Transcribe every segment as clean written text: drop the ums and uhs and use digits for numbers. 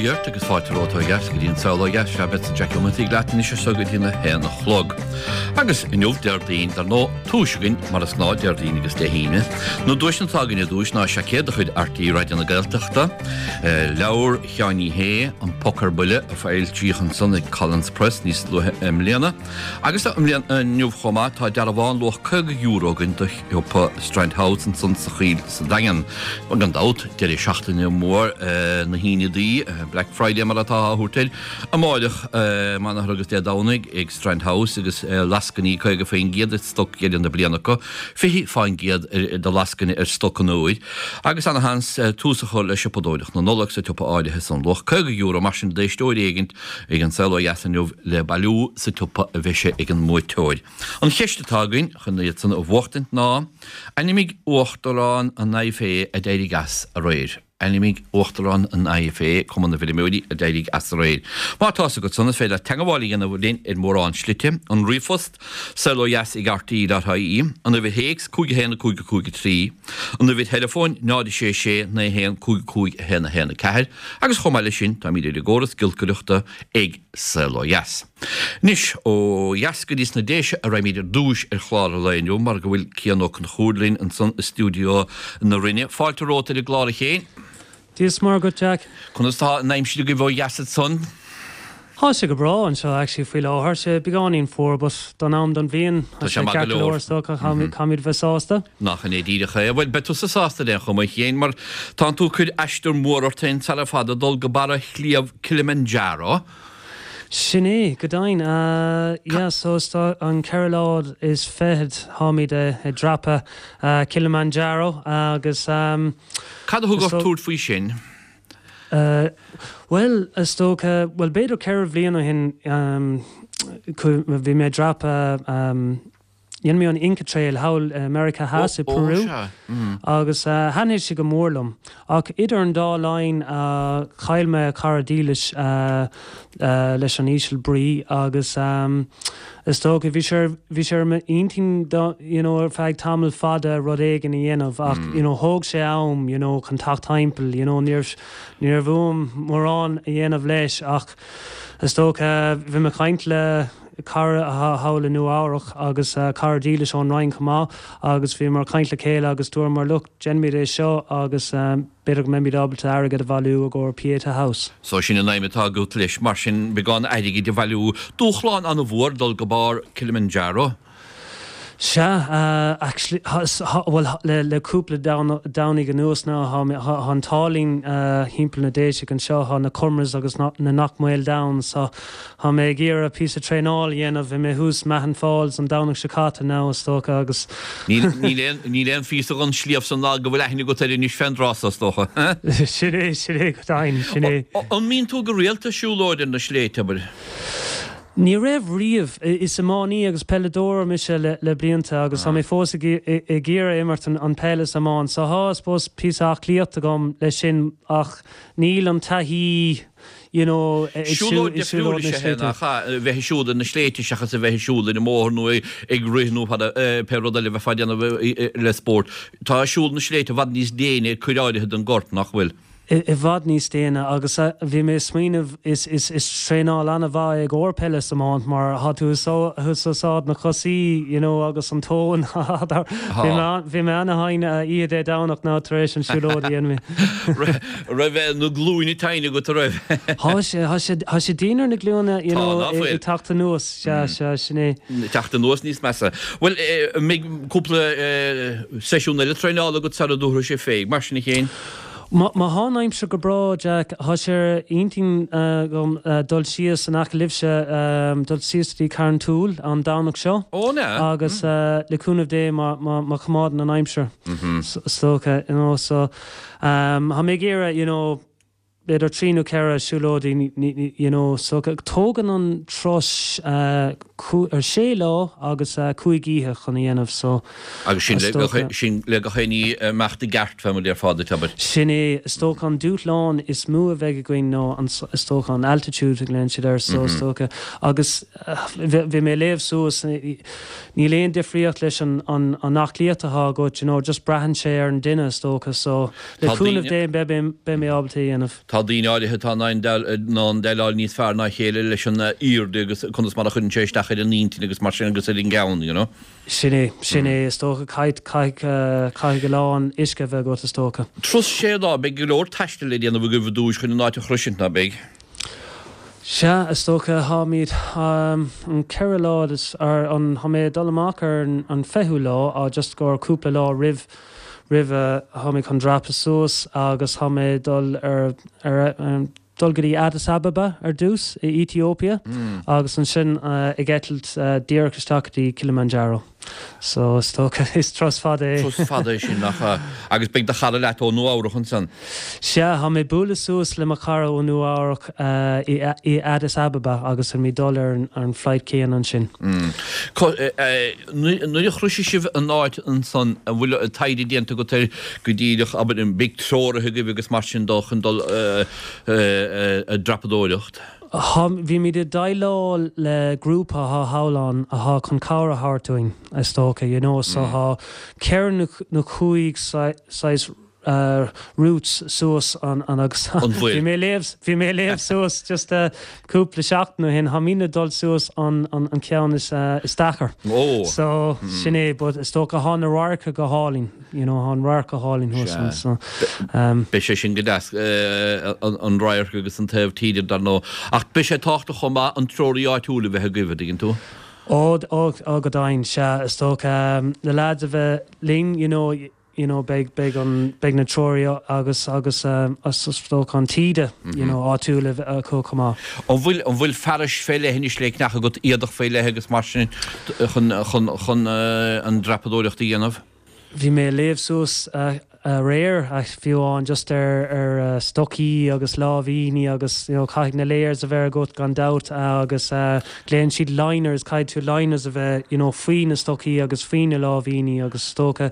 inniu ort agus fáilte romhat ó dheas go dtí an Saol Ó Dheas. Sea, beadsa Jack Ó Maitiaigh leat anois as seo go dtí na haon a chlog. Agus inniu, Déardaoin, dar ndóigh, duais againn, mar is gnáth, Déardaoin agus Dé hAoine. Na duaiseanna atá againn ar dtúis ná seaicéad de chuid RTÉ Raidió na Gaeltachta, leabhar Sheáin Uí Shé, An Poc ar Buile, a foilsíodh ansan ag Collins Press níos luaithe i mbliana. Agus inniu chomh maith, tá dearbhán luach €50 againn do shiopa Strand House ansan sa Choill sa Daingean. Gan dabht, deireadh seachtaine mór na hAoine Dubí, Black Friday mar atá á thabhairt air, amáireach, amárach agus Dé Domhnaigh ag Strand House agus lascainí 50% ar stoc dheireadh na bliana acu, 20% de lascaine ar stoc an fhómhair agus ana-sheans tús a chur le siopadóireacht na Nollag sa tsiopa áirithe san. Luach €50 mar sin d'éisteoir éigint ag An Saol Ó Dheas inniu le bailiú sa tsiopa a bheidh sé ag an mbuaiteoir. An cheist atá againn chun iad san a bhuachtaint ná, ainmnigh Uachtarán an IFA a d'éirigh as aréir. Ainmnigh Uachtarán an IFA, Cumann na bhFeirmeoirí, a d'éirigh as aréir. Má tá fhios agat san, is féidir leat teagmháil a dhéanamh linn ar mhórán slite, an ríomhphost, saolodheas ag rte.ie, an uimhir théacs, 5 1 5 5 3, an uimhir theileafóin, 0 6 6 9 1 5 5 1 1 4, Agus chomh maith leis sin, táimid ar an gcóras giolcaireachta ag Saol Ó Dheas. Anois, ó dheas go dtí sna Déise a raghaimid ar dtúis ar chlár an lae inniu mar go bhfuil Cian Ó Conchúir linn ansan i stiúideo na Rinne. Fáilte romhat ar an gclár a Chéin. Dia is Muire dhuit Jack. Conas tá an aimsir agaibh ó dheas ansan? Tá sé go breá anseo actually faoi láthair. Sé beagáinín fuar but don am don bhliain tá sé ceart go leor is dócha. Caithfimid bheith sásta. Nach in é díreach é? Bhuel, beidh tusa sásta ar aon chuma, a Chéin, mar tánn tú ag cur aistear mór ort féin sara fada dul go barra Shliabh Kilimanjaro. Sin é, go deimhin. Yeah, so is an ceithre lá is fichead táimid ag dreapadh Kilimanjaro agus. Cad a thug ort tabhairt faoi sin? Bhuel, is dócha, bhuel b'fhéidir ceithre bhliain ó shin bhí mé ag dreapadh, dhein mé an Inca Trail thall i Meiriceá Theas i Peru agus thaitnigh sé go mór liom. Ach idir an dá linn chaill mé cara dílis leis an íseal brí agus is dócha bhí sé bhí sé ar m'intinn you know ar feadh tamall fada rud éigin a dhéanamh ach you know thóg sé am you know chun teacht timpeall you know ní raibh ní raibh uaim mórán a dhéanamh leis ach is dócha bhí mé ag caint le cara atá thall i Nua Eabhrach agus cara dílis ón Rinn chomh maith agus bhíomar ag caint le chéile agus dúramar look déanfaimid é seo agus b'fhéidir go mbeimid ábalta airgead a bhailiú i gcomhair Pieta House. So sin an aidhm atá agat leis, mar sin, beagán airgid a bhailiú. Dúshlán an-mhór dul go barr Kilimanjaro. Sea, actually, bhuel, le cúpla Domhnaigh anuas now, tá an t-ádh linn thimpeall na Déise anseo, tá na Comeraghs agus na Knockmael Downs, so Tá mé ag iarraidh píosa traenáil a dhéanamh. Bhí mé thuas Mahon Falls an Domhnach seo caite now is dócha agus. Níl aon phíosa den sliabh san ná go bhfuil aithne agat air anois fén dtráth so, is dócha. Sin é, sin é go deimhin, sin é. An mbíonn tú go rialta ag siúlóid ar na sléibhte, abair? Ní raibh riamh. Is iománaí agus peileadóir mise le blianta agus tá mé fós ag iarraidh imirt an peil is iomáint. So tá, I suppose, píosa aclaíocht agam leis sin ach níl an taithí you know, ag Siúlóid difriúil is ea é, nach ea? A bheith ag siúl ar na sléibhte seachas a bheith ag siúl ar an mbóthar nó ag rith nó pé rud eile a bheifeá ag déanamh le spórt. Tá siúl na sléibhte i bhfad níos déine ar cuid áirithe den gcorp, nach bhfuil? I bhfad níos déine agus bhí mé ag smaoineamh is is traenáil an-mhaith é i gcomhair peile is iomáint mar tá tú ag úsáid na cosaí you know agus an tóin bhí mé bhí mé ana-thinn oíche Dé Domhnach now tar éis an siúlóid a dhein mé. Raibh na glúine tinn agat, a raibh? Thá sé, thá sé, thá sé dian ar na glúine, you know, Tá, ná fuil? ag teacht anuas, sea, sea, sin é. Teacht anuas níos measa. Bhuel, an mbeidh cúpla seisiún eile traenála agat sara dtabharfaidh sé fé, mar sin a Chéin? Má, má thá an aimsir go breá, Jack, thá sé ar intinn agam dul síos in aice libhse, dul síos go dtí Carrauntoohil an Domhnach seo. Ó, an ea? Agus le cúnamh Dé má, má, má choimeádann an aimsir, is dócha, you know, so. Tá mé ag iarraidh, you know, b'fhéidir trí nó ceithre siúlóidí, you know, so tógann an turas sé lá agus cúig oíche chun a dhéanamh, so Agus sin le gach, sin le gach aon ní imeacht i gceart, fé mar a déarfá duit, abair. Sin é, is dócha an dúshlán is mó a bheidh againn ná an, is dócha an altitude a ghlaonn siad air, so is dócha, agus bhí mé ag léamh suas, Níl aon difríocht leis an an aclaíocht atá agat, you know, just braitheann sé ar an duine is dócha, so le cúnamh Dé beidh mé ábalta é a dhéanamh. Tá daoine áirithe atá in ann déileáil níos fearr ná a chéile leis an airde agus conas mar a chuireann sé isteach ar an intinn agus mar sin agus ar an gceann, you know. Sin é, sin é, is dócha. Caithfidh, caithfidh a lán uisce a bheith agat, is dócha. Turas sé lá, beidh go leor taistil le déanamh agaibh ar dtúis chun an áit a shroisint, ná beidh? Sea, is dócha, táimid an 4 lá, ar an, tá mé ag dul amach ar an 20ú lá, just gur cúpla lá roimh, roimhe, tá mé chun dreapadh suas agus tá mé ag dul ar, ar, dul go dtí Addis Ababa ar dtús i Ethiopia agus ansin ag eitilt díreach isteach go dtí Kilimanjaro. So is dócha is turas fada é. Turas fada é sin, nach ea? Agus beidh do chara leat ó Nua Eabhrach ansan? Sea, tá mé ag bualadh suas le mo chara ó Nua Eabhrach i Addis Ababa agus tá muid ag dul ar an flight céanna ansin. Nuair a shroisfidh sibh an áit ansan, an bhfuil taighde déanta agat air go díreach, abair, an mbeidh treoraithe agaibh agus mar sin dó chun dul ag dreapadóireacht? Tá, bhímid ag déileáil le grúpa athá thall ann athá chun cabhair a thabhairt dúinn, is dócha, you know, so thá ceithre nó chúig saghas routes suas an, an agus bhí mé ag léamh, bhí mé ag léamh suas just cúpla seachtain ó shin, tháimidne ag dul suas an, an, an ceann is, is deacair. So sin é, but is dócha thá na radharca go hálainn. You know, tá an radharc go hálainn thuas ann, so. Beidh sé sin go deas, an radharc agus an taobh tíre dar ndóigh. Ach beidh sé tábhachtach chomh maith an treoraí áitiúil a bheith agaibh, an dtuigeann tú? Ó, ó, ó go deimhin, sea, is dócha. Na lads a bheith linn, you know, you know, beidh, beidh an, beidh na treoraí agus, agus, is dócha an taoide, you know, áitiúil a bheith acu chomh maith. An bhfuil, an bhfuil fearais fé leith anois le ceannach agat, éadach faoi leith agus mar sin chun, chun, chun an dreapadóireacht a dhéanamh? Bhí mé ag léamh suas aréir, fiú amháin, just ar ar stocaí agus láimhíní agus you know caithfidh na layers a bheith agat gan dabht agus glaonn siad liners, caithfidh tú liners a bheith you know faoi na stocaí agus faoi na láimhíní agus is dócha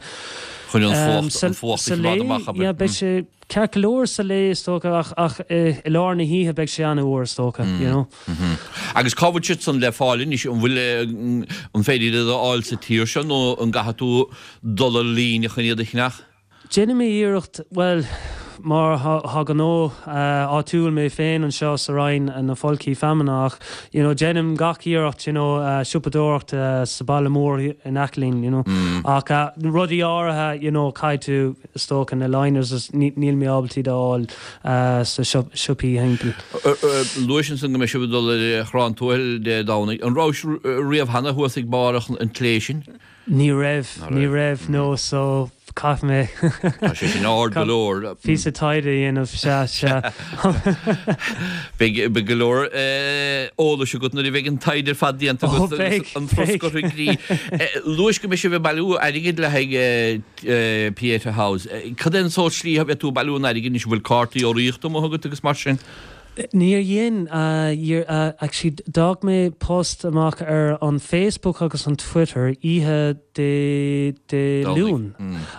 Chun an fuacht, an fuacht a sa choimeád lae, amach, abair. yeah, beidh sé ceart go leor sa lae is dócha ach ach i lár na hoíche beidh sé an-fhuar is dócha, you know. Agus cá bhfuil siad san le fáil anois? An bhfuil, an féidir iad a fháil sa tír seo nó an gcaithfidh tú dul ar líne chun iad a cheannach? Déanfaidh mé iarracht, bhuel, mar thá gnó áitiúil mé féin anseo sa Rinn, na folcthaí feamainne ach, you know, déanaim gach iarracht, you know, siopadóireacht sa baile mór in aice linn, you know. Ach rudaí áirithe, you know, caithfidh tú, Is dócha na liners is níl mé ábalta iad a fháil sna siopaí thimpeall. Luais ansan go mbeidh sibh ag dul ar Chrann Tuathail Dé Domhnaigh. An rabhais riamh cheana thuas ag barr an tslé sin? Ní raibh, ní raibh, no, so caithfidh mé. Tá sé sin ard go leor. Píosa taighde a dhéanamh, sea, sea. Beidh go leor eolais agat nuair a bheidh an taighde ar fad déanta agat agus an turas curtha i gcrích. Luais go mbeidh sibh ag bailiú airgid le haghaidh Pieta House. Cad é an sórt slí a bheidh tú ag bailiú an airgid anois? An bhfuil cártaí urraíochta amuigh agat agus mar sin? Níor dhein. Actually d'fhág mé post amach ar an Facebook agus an Twitter oíche Dé Dé Luain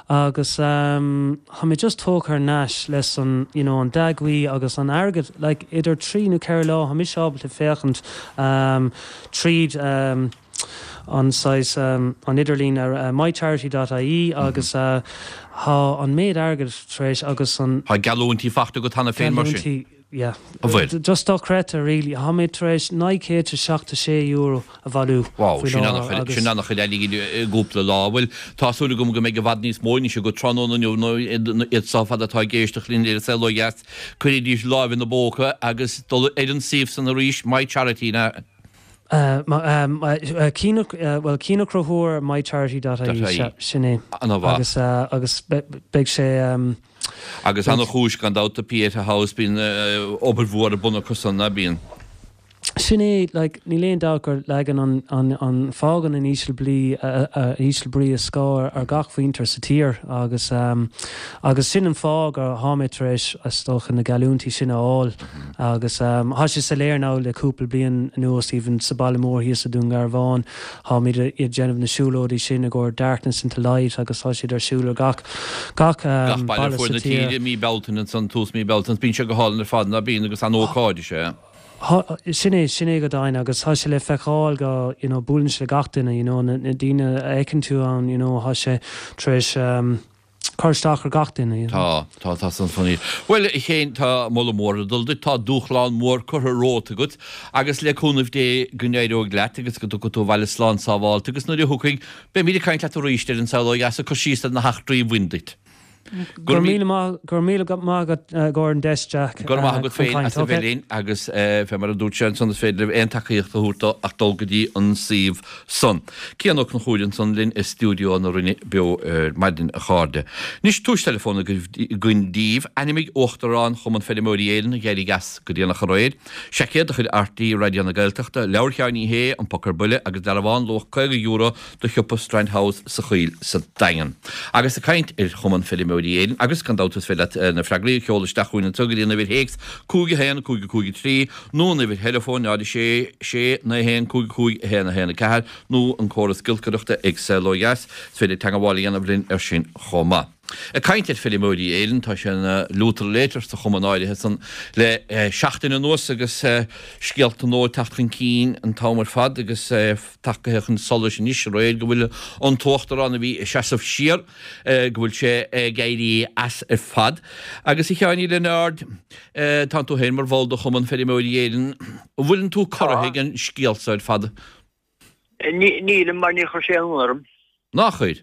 agus tá mé just tógtha thar n-ais leis an you know an dea-ghuí agus an airgead like idir trí nó ceithre lá tá mise ábalta féachaint tríd an saghas an idirlíon ar mycharity dot ie agus tá an méid airgid tar éis agus an. Tá geallúintí faighte agat cheana féin mar sin? Geallúintí, yeah. An bhfuil? Just dochreidte really. Tá mé tar éis €976 a bhailiú Wow, faoi sin láthair agus. Sin an-chuid airgid i gcúpla lá. Bhuel, tá súil agam go mbeidh i bhfad níos mó anois agat tráthnóna inniu nó iad seo ar fad atá ag éisteacht linn ar An Saol Ó Dheas, cuiridís lámh ina bpóca agus dul ar an suíomh san arís, My Charity, na. Bhuel, Cian Ó Conchúir, mycharity dot ie, sin é. Ana-mhaith. Agus beidh sé. Agus ana-chúis gan dabht do Pieta House, bíonn obair mhór ar bun acu san, ná bíonn? Sin é, like, níl aon dabht gur leagann an, an, an, fágann an íseal blí, íseal brí a scáth ar gach mhuintir sa tír agus, agus sin an fáth gur thá mé tar éis, is dócha, na geallúintí sin a fháil. Agus thá sé soiléir now le cúpla bliain anuas, even sa baile mór thíos i Dún Garbhán, tháimid ag déanamh na siúlóidí sin i gcomhair Darkness into Light agus tá siad ar siúl ar gach, gach Gach baile ar fuaid na sa tír. tíre i mí Bealtaine ansan, tús mí Bealtaine, bíonn sé go hálainn ar fad, ná bíonn, agus an-ócáid is ea. Thá, sin é, sin é go deimhin agus thá sé le feiceáil go, you know, buaileann sé le gach duine, you know, na, na daoine a fheiceann tú ann, you know, thá sé tar éis. cur isteach ar gach duine, you know. Tá, tá, tá san funny. Bhuel, a Chéin, tá moladh mór ag dul duit, tá dúshlán mór curtha romhat agat agus le cúnamh Dé go n-éireoidh leat agus go dtiocfaidh tú abhaile slán sábháilte agus nuair a thiocfaidh, beimid ag caint leat arís ar An Saol Ó Dheas ag cur síos ar na heachtraí a bhain duit. Go raibh míle maith, go raibh míle maith agat i gcomhair an deis, Jack, Go raibh maith agat chun féin caint. as a bheith linn agus fé mar a dúirt sé ansan is féidir libh aon tacaíocht a thabhairt dó ach dul go dtí an suíomh san. Cian Ó Conchúir ansan linn i stiúideo na Rinne beo ar maidin a chairde. Anois tomhais teileafóin againn daoibh. Ainmnigh Uachtarán Chumann Feirmeoirí Éireann a d'éirigh as go déanach aréir. Seaicéad de chuid RTÉ Raidió na Gaeltachta, leabhar Sheáin Uí Shé, An Poc ar Buile agus dearbhán luach €50 do shiopa Strand House sa Choill sa Daingean. Agus ag caint ar Chumann Feirmeoirí Éireann, agus gan dabht is féidir leat na freagraí a sheoladh isteach chugainn anseo go dtí an uimhir théacs 5 1 5 5 3 nó an uimhir theileafóin 0 6 6 9 1 5 5 1 1 4 nó an córas giolcaireachta ag Saol Ó Dheas, is féidir teagmháil a dhéanamh linn air sin chomh maith. Ag caint ar Feirmeoirí Éireann, tá sé ina liútar léitear sa chumann áirithe san le seachtain anuas agus scéalta nua ag teacht chun cinn an t-am ar fad agus tagtha chun solais anois aréir go bhfuil an t-uachtarán a bhí ag seasamh siar, go bhfuil sé ag éirí as ar fad. Agus a Sheáin Uí Lionáird, tánn tú féin mar bhall de Chumann Feirmeoirí Éireann, an bhfuileann tú corraithe ag an scéal so ar fad? Nílim mar níor chuir sé aon ionadh orm. Nár chuir?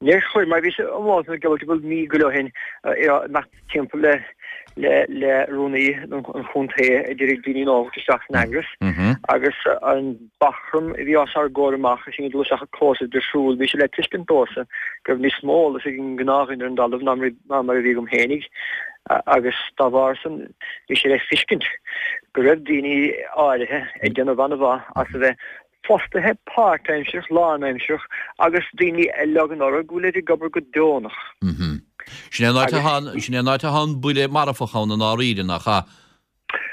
Níor chuir, mar bhíos amuigh ag gabháil mí go leith ó shin, ag imeacht timpeall le le le rúnaí an chontae a d'iarraidh daoine nua a thabhairt isteach san eagras agus an bachram a bhí os ár gcomhair amach is sinn ag dul isteach an clós de siúl, bhí sé le tuiscint domhsa go raibh níos mó eolas ag an ngnáthdhuine ar an dtalamh ná mar a bhí agam féinig agus dá bharr san bhí sé le fiscint go raibh daoine áirithe ag déanamh an-mhaith as a bheith fostaithe páirtaimsearach, lánaimsearach agus daoine a leagann orthu go bhfuilid ag obair go deonach. Sin é an áit atá, sin é an áit atá an buille marfach ann i ndáiríre, nach ea?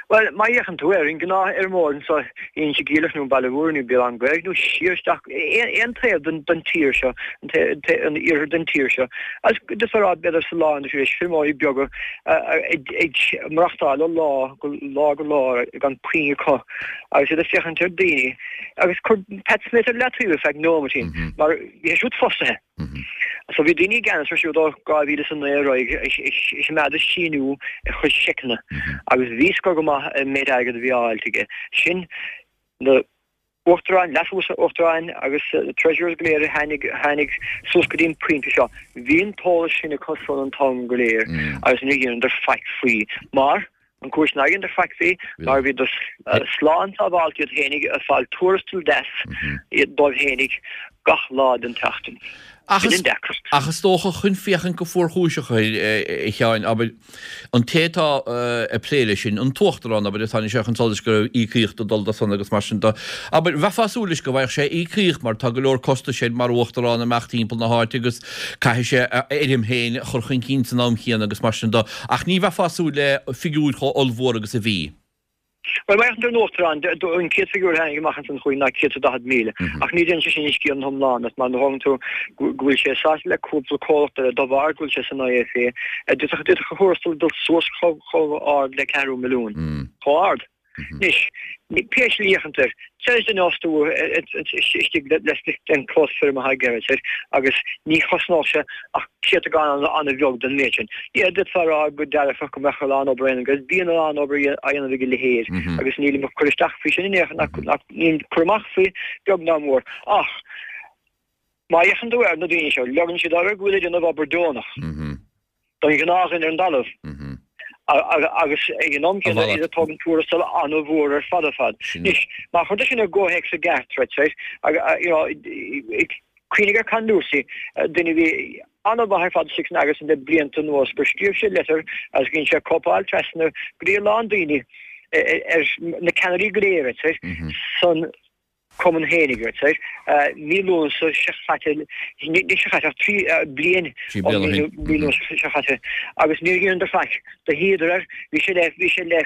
Bhuel, má fhéachann tú ar an ngnáthfheirmeoir anseo in Inse Geimhleach nó Baile Mhúirne nó Béal Átha an Ghaorthaidh nó siar isteach aon taobh den tír seo, an iarthar den tír seo, agus d'fhéadfá a rá b'fhéidir sa lár de arís, feirmeoirí beaga ag maireachtáil ó lá go lá go lá gan puinn acu. agus iad ag féachaint ar daoine agus cuir Pat Smith ar leataobh ar feadh nóiméidín mar bhí sé siúd fostaithe. So bhí daoine i gceannas air siúd ó 2009 ar aghaidh ag coimeád ag síniú a chuid seiceanna agus bhí a fhios acu go maith an méid airgid a bhí á fháilt aige. Sin na uachtaráin, leas-uachtaráin agus treasurers go léir a tháinig tháinig suas go dtí an pointe seo. Bhí an t-eolas sin acu san an t-am go léir agus níor dheineadar faic faoi mar An chúis nár dheineadar faic faoi mar bhíodar slán sábháilte iad fhéinig ag fáil tuarastal deas dóibh fhéinig gach lá den tseachtain. Sin an deacracht. Ach is dócha chun féachaint go fuarchúiseach air, a Sheáin, abair, an té atá ag plé leis sin, an t-uachtarán, abair, a tháinig sé chun solais go raibh íocaíocht ag dul dó san agus mar sin de, abair, bheifeá ag súil leis go bhfaigheadh sé íocaíocht mar tá go leor costais air mar uachtarán imeacht timpeall na háite agus Caithfidh sé a fheirm féin a chur chun cinn san am chéanna agus mar sin de, ach ní bheifeá ag súil le figiúir chomh ollmhór agus a bhí. Bhuel, má fhéachann tú ar an Uachtarán, an chéad figiúr a tháinig amach ansan chugainn ná 140,000, ach ní dhéanann sé sin an scéal ina iomlán, mar nuair a thógann tú go bhfuil sé sáite le cúpla comhlacht eile de bharr go bhfuil sé san IFA, d'fhéadfadh a thuarastal dul suas chomh ard le ceathrú milliún. Chomh ard. Anois, pé slí a fhéachann tú air, deir duine a fhostú istigh leis an clós feirme atá ag air agus ní chosnódh sé ach céatadán an-bheag den méid sin. Yeah, d'fhéadfá a rá go dearfach go mbeadh a lán obair á dhéanamh agus bíonn a lán obair á dhéanamh ag a leithéid agus nílim ag cur isteach faoi sin in aon chor, nílim ag cur amach faoi beag ná mór. Ach má fhéachann tú ar na daoine seo, leagann siad orthu go bhfuil ag déanamh obair deonach. don ghnáthdhuine ar an dtalamh agus ag an am céanna iad ag tógaint tuarastal an-mhór ar fad ar fad. Anois, má chuirtear sin i gcomhthéacs i gceart, right, you know, cuimhnigh ar Con Lucey, duine a bhí an-mhaith ar fad istigh san eagras le blianta anuas, gur scríobh sé litir agus dhein sé cóipeáil trasna go dtí a lán daoine ar na ceannairí go léir, right, san Cumann fhéinig, right, mí Lúnasa seo chaite, ní seo chaite ach 3 bliain ó mí Lúnasa seo chaite, agus níor dheineadar faic. Do shuíodar air, bhí sé le, bhí sé le,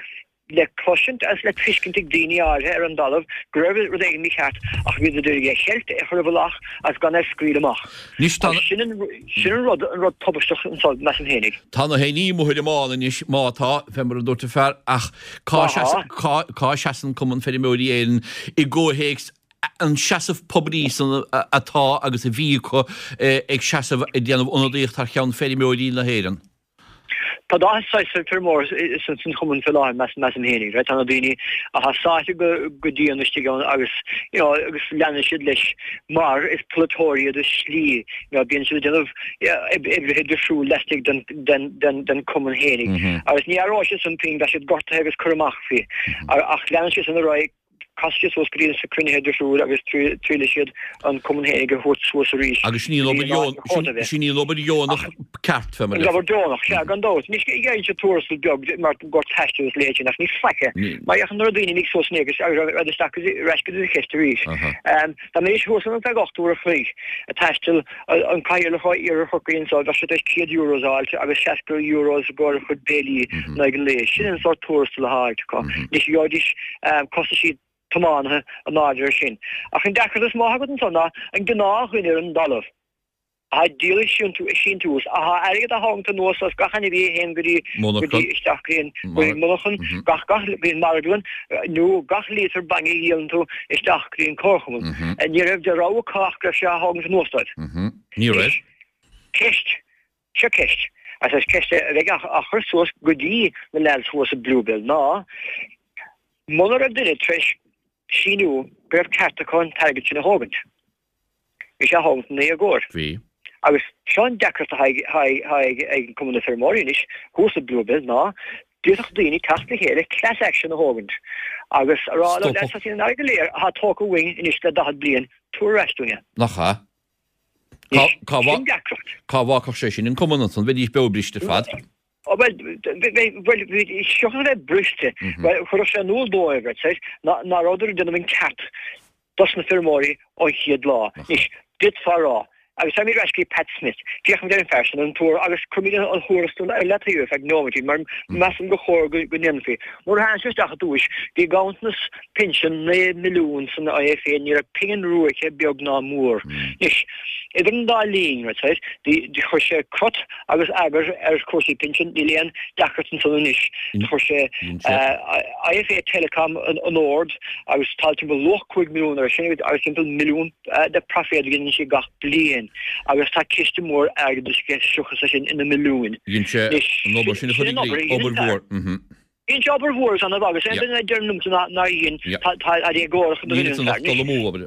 le cloisint agus le tuiscint ag daoine áirithe ar an dtalamh go raibh rud éigin mícheart ach bhíodar d'iarraidh é a cheilt, é a chur i bhfolach agus gan é a scaoileadh amach. Anois tá. Sin an, sin an rud, an rud tubaisteach anso, measaim fhéinig. Tá na héinní amuigh ar an mbán anois, má tá, fé mar a dúirt an fear, ach cá seasann, cá, cá seasann Cumann Feirmeoirí Éireann i gcomhthéacs. an seasamh poiblí san atá agus a bhí acu ag seasamh ag déanamh ionadaíocht thar cheann feirmeoirí na hÉireann. Tá dá saghas feirmeoir san chumann fé láthair, measaim fhéinig, right? Tá na daoine atá sáite go dian istigh ann agus, you know, agus leanann siad leis mar is polaiteoirí iad i slí, you know, bíonn siad ag déanamh oibrithe difriúil laistigh den, den, den, den cumann fhéinig. Agus ní aireoidh siad san pingin, bheadh siad gortaithe agus curtha amach faoi. Ach leanann siad san ar aghaidh. Casfaidh siad suas go dtí na cruinnithe difriúil agus triailfidh siad an cumann fhéinig a thabhairt suas arís Agus sin í an obair dheonach, sin í an obair dheonach ceart, fé mar An obair dheonach, sea, gan dabht. Anois, gheibheann siad tuarastal beag mar gur taisteal is leithéid sin, ach ní faic é. Mar fhéachann nuair a daoine imigh suas in agus rud isteach ar ais go dtí an cheist arís. Dá mbeidís thuas ann ar feadh 8 uair a chloig ag taisteal, an cathaoirleach ó Iarthar Chorcaí anseo, bheadh sé tar éis 100 euros a fháilt agus 60 euros i gcomhair a chuid béilí in aghaidh an lae. Sin an sórt tuarastal atá á fháilt acu. Anois gheobhaidís costaisí tiománaithe in airde air sin. Ach an deacracht is mó atá agat anseo ná an gnáthdhuine ar an dtalamh atá ag díol a síntiús, atá airgead á tharraingt anuas as gach ainmhí a théann go dtí go dtí isteach go dtí an go dtí an monarchan, gach gach go dtí an marglann, nó gach líotar bainne a dhíolann tú isteach go dtí an comharchumann. Ní raibh de rogha acu ach go raibh sé á tharraingt anuas dóibh. Ní raibh. Ceist. Seo ceist, agus is ceist a bheidh á chur suas go dtí na leaids thuas i Bluebell ná, muna raibh duine tar éis síniú go raibh ceart acu an t-airgead sin a thógaint, bhí sé á thógaint ina éagóir. Bhí. Agus seo an deacracht atá ag Cumann na Feirmeoirí anois thuas i Bluebell ná, d'fhéadfadh daoine teacht le chéile class action a thógaint agus a rá leo, lads, tá an airgead go léir atá tógtha uainn anois le 40 bliain, tabhair ar ais dúinn é. Nach ea? Cá Sin deacracht. Cá bhfágfadh sé sin an cumann ansan? Bheidís beo briste ar fad. Ó bhuel, bhuel, seachas a bheith briste, bhuel, chuirfeadh sé in iúl dóibh, right, said, ná rabhadar ag déanamh an ceart dos na feirmeoirí ón chéad lá. Anois, d'fhéadfá a rá, agus táimid ar ais go dtí Pat Smith, féachaimid ar an fear sin, ar an tuar, agus cuirimid an thuarastal ar leataobh ar feadh nóiméid, mar measaim gur chóir go ndéanfaí. Nuair a tháinig sé isteach i dtúis, bhí ganntanas pinsean 9 milliún san IFA, ní raibh pingin rua aici, beag ná mór. Anois, idir an dá linn, right, chuir sé crot agus eagar ar chúrsaí pinsean, níl aon deacracht ansan anois. Chuir sé IFA Telecom in ord agus tá timpeall luach 5 milliún air sin agus timpeall milliún de proiféad a ghineann sé gach bliain agus tá ciste mór airgeadais aige seachas é sin ina milliúin. Dhein sé an obair sin a chur i gcrích, obair mhór. Dhein sé obair mhór is annamh agus aon duine a deir liomsa nár dhein, tá éagórach do dhuine an fear. Dul amú obair.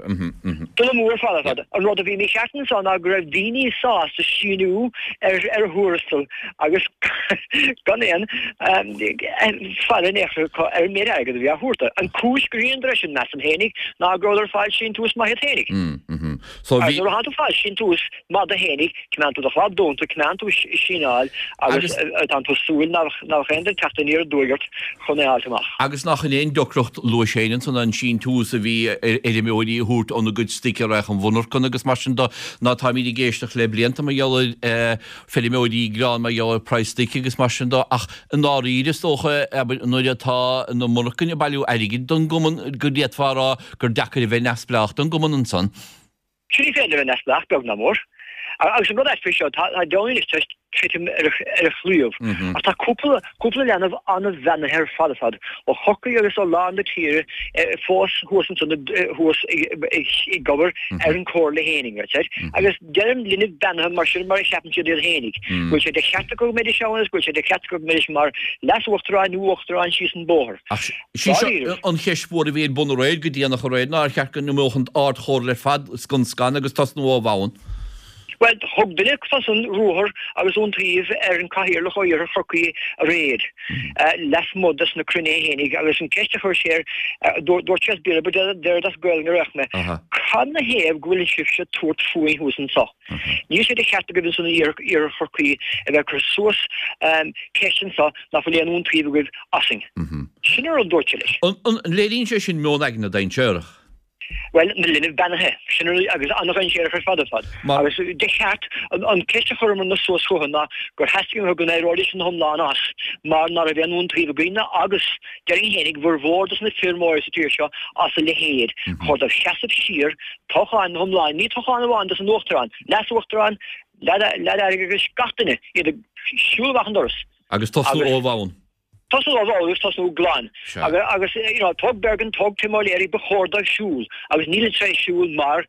Dul amú ar fad ar fad. An rud a bhí mícheart anso ná go raibh daoine sásta síniú ar a thuarastal agus gan aon faire in aon chor acu ar an méid airgid a bhí á thabhairt dóibh. An cúis gur dheineadar é sin, measaim fhéinig, ná go rabhadar ag fáil síntiús maith iad fhéinig. Agus nuair atánn tú ag fáil síntiús maith duit fhéinig, Coimeádann tú do chlab dúnta, coimeádann tú ag síneáil agus tánn tú ag súil nach mbeadh aon duine ag teacht aniar aduaidh ort chun é a fháilt amach. Agus nach in é an deacracht luais féin ansan an síntiús a bhí ar fheirmeoirí a thabhairt óna gcuid stoic a raghadh an mhonarcan agus mar sin de ná táimíd ag éisteacht le blianta mar gheall ar feirmeoirí ag gearán mar gheall ar praghas stoic agus mar sin de ach i ndáiríre is dócha abair nuair atá na monarcain ag bailiú airgid don gcumann go bhféadfá a rá gur deacair a bheith neamhspleách don gcumann ansan. Sea, ní féidir a bheith neamhspleách, beag ná mór. Agus an rud ait faoi seo, tá Downey anois tar éis titim ar a chlaíomh. Ach tá cúpla, cúpla leanbh an-bheannaithe ar fad ar fad, ó Chorcaigh agus ó lár na tíre fós thuas ansan, thuas ag obair ar an Chomhairle fhéinig, right? Agus deirim linbh beannaithe mar sin mar a cheapann siad iad fhéinig. Go bhfuil sé de cheart acu go mbeidís ann agus go bhfuil sé de cheart acu go mbeidís mar leas-uachtaráin nó uachtaráin síos an bóthar. Ach sí seo an cheist mhór a bhí ar bun aréir, go déanach aréir, ná ar cheart go n-imeodh an Ard-Chomhairle ar fad scun scan agus tosnú ó bhonn? Bhuel, thug duine acusan ruathar agus iontaoibh ar an Cathaoirleach ó Iarthar Chorcaí aréir, lasmuigh des na cruinnithe fhéinig, agus an ceist a chuir sé air, dúirt sé as Béarla, but déarfad as Gaolainn a raibh mé, cad 'na thaobh go bhfuil sibhse ag tabhairt fúinn thuas anso? Níl sé de cheart agaibh ansan in Iarthar Chorcaí a bheith ag cur suas ceist anso nach bhfuil aon iontaoibh agaibh asainn. Sin an rud a dúirt sé leis. An léiríonn sé sin meon aigne dainséarach? Bhuel, na linbh beannaithe. Sin an rud, agus an-dhainséarach ar fad ar fad. Agus de cheart, an ceist a chuireamarna suas chucu ná gur theastaigh uathu go n-éireoidís ina hiomlán as mar ná raibh aon iontaoibh againn agus, déarfainn fhéinig, bhformhór dos na feirmeoirí sa tír seo as a leithéid. Chóir dóibh seasamh siar, toghchán ina hiomlán, ní toghchán amháin dos an uachtarán, leas-uachtarán, leaid airgeadais, gach duine, iad ag siúl amach an doras. Agus tosnú ó bhonn. Tosnú ó bhall agus tosnú glan. Agus, you know, tóg Bergin, tóg Tim O'Leary, ba chóir dóibh siúl. Agus nílid tar éis siúl mar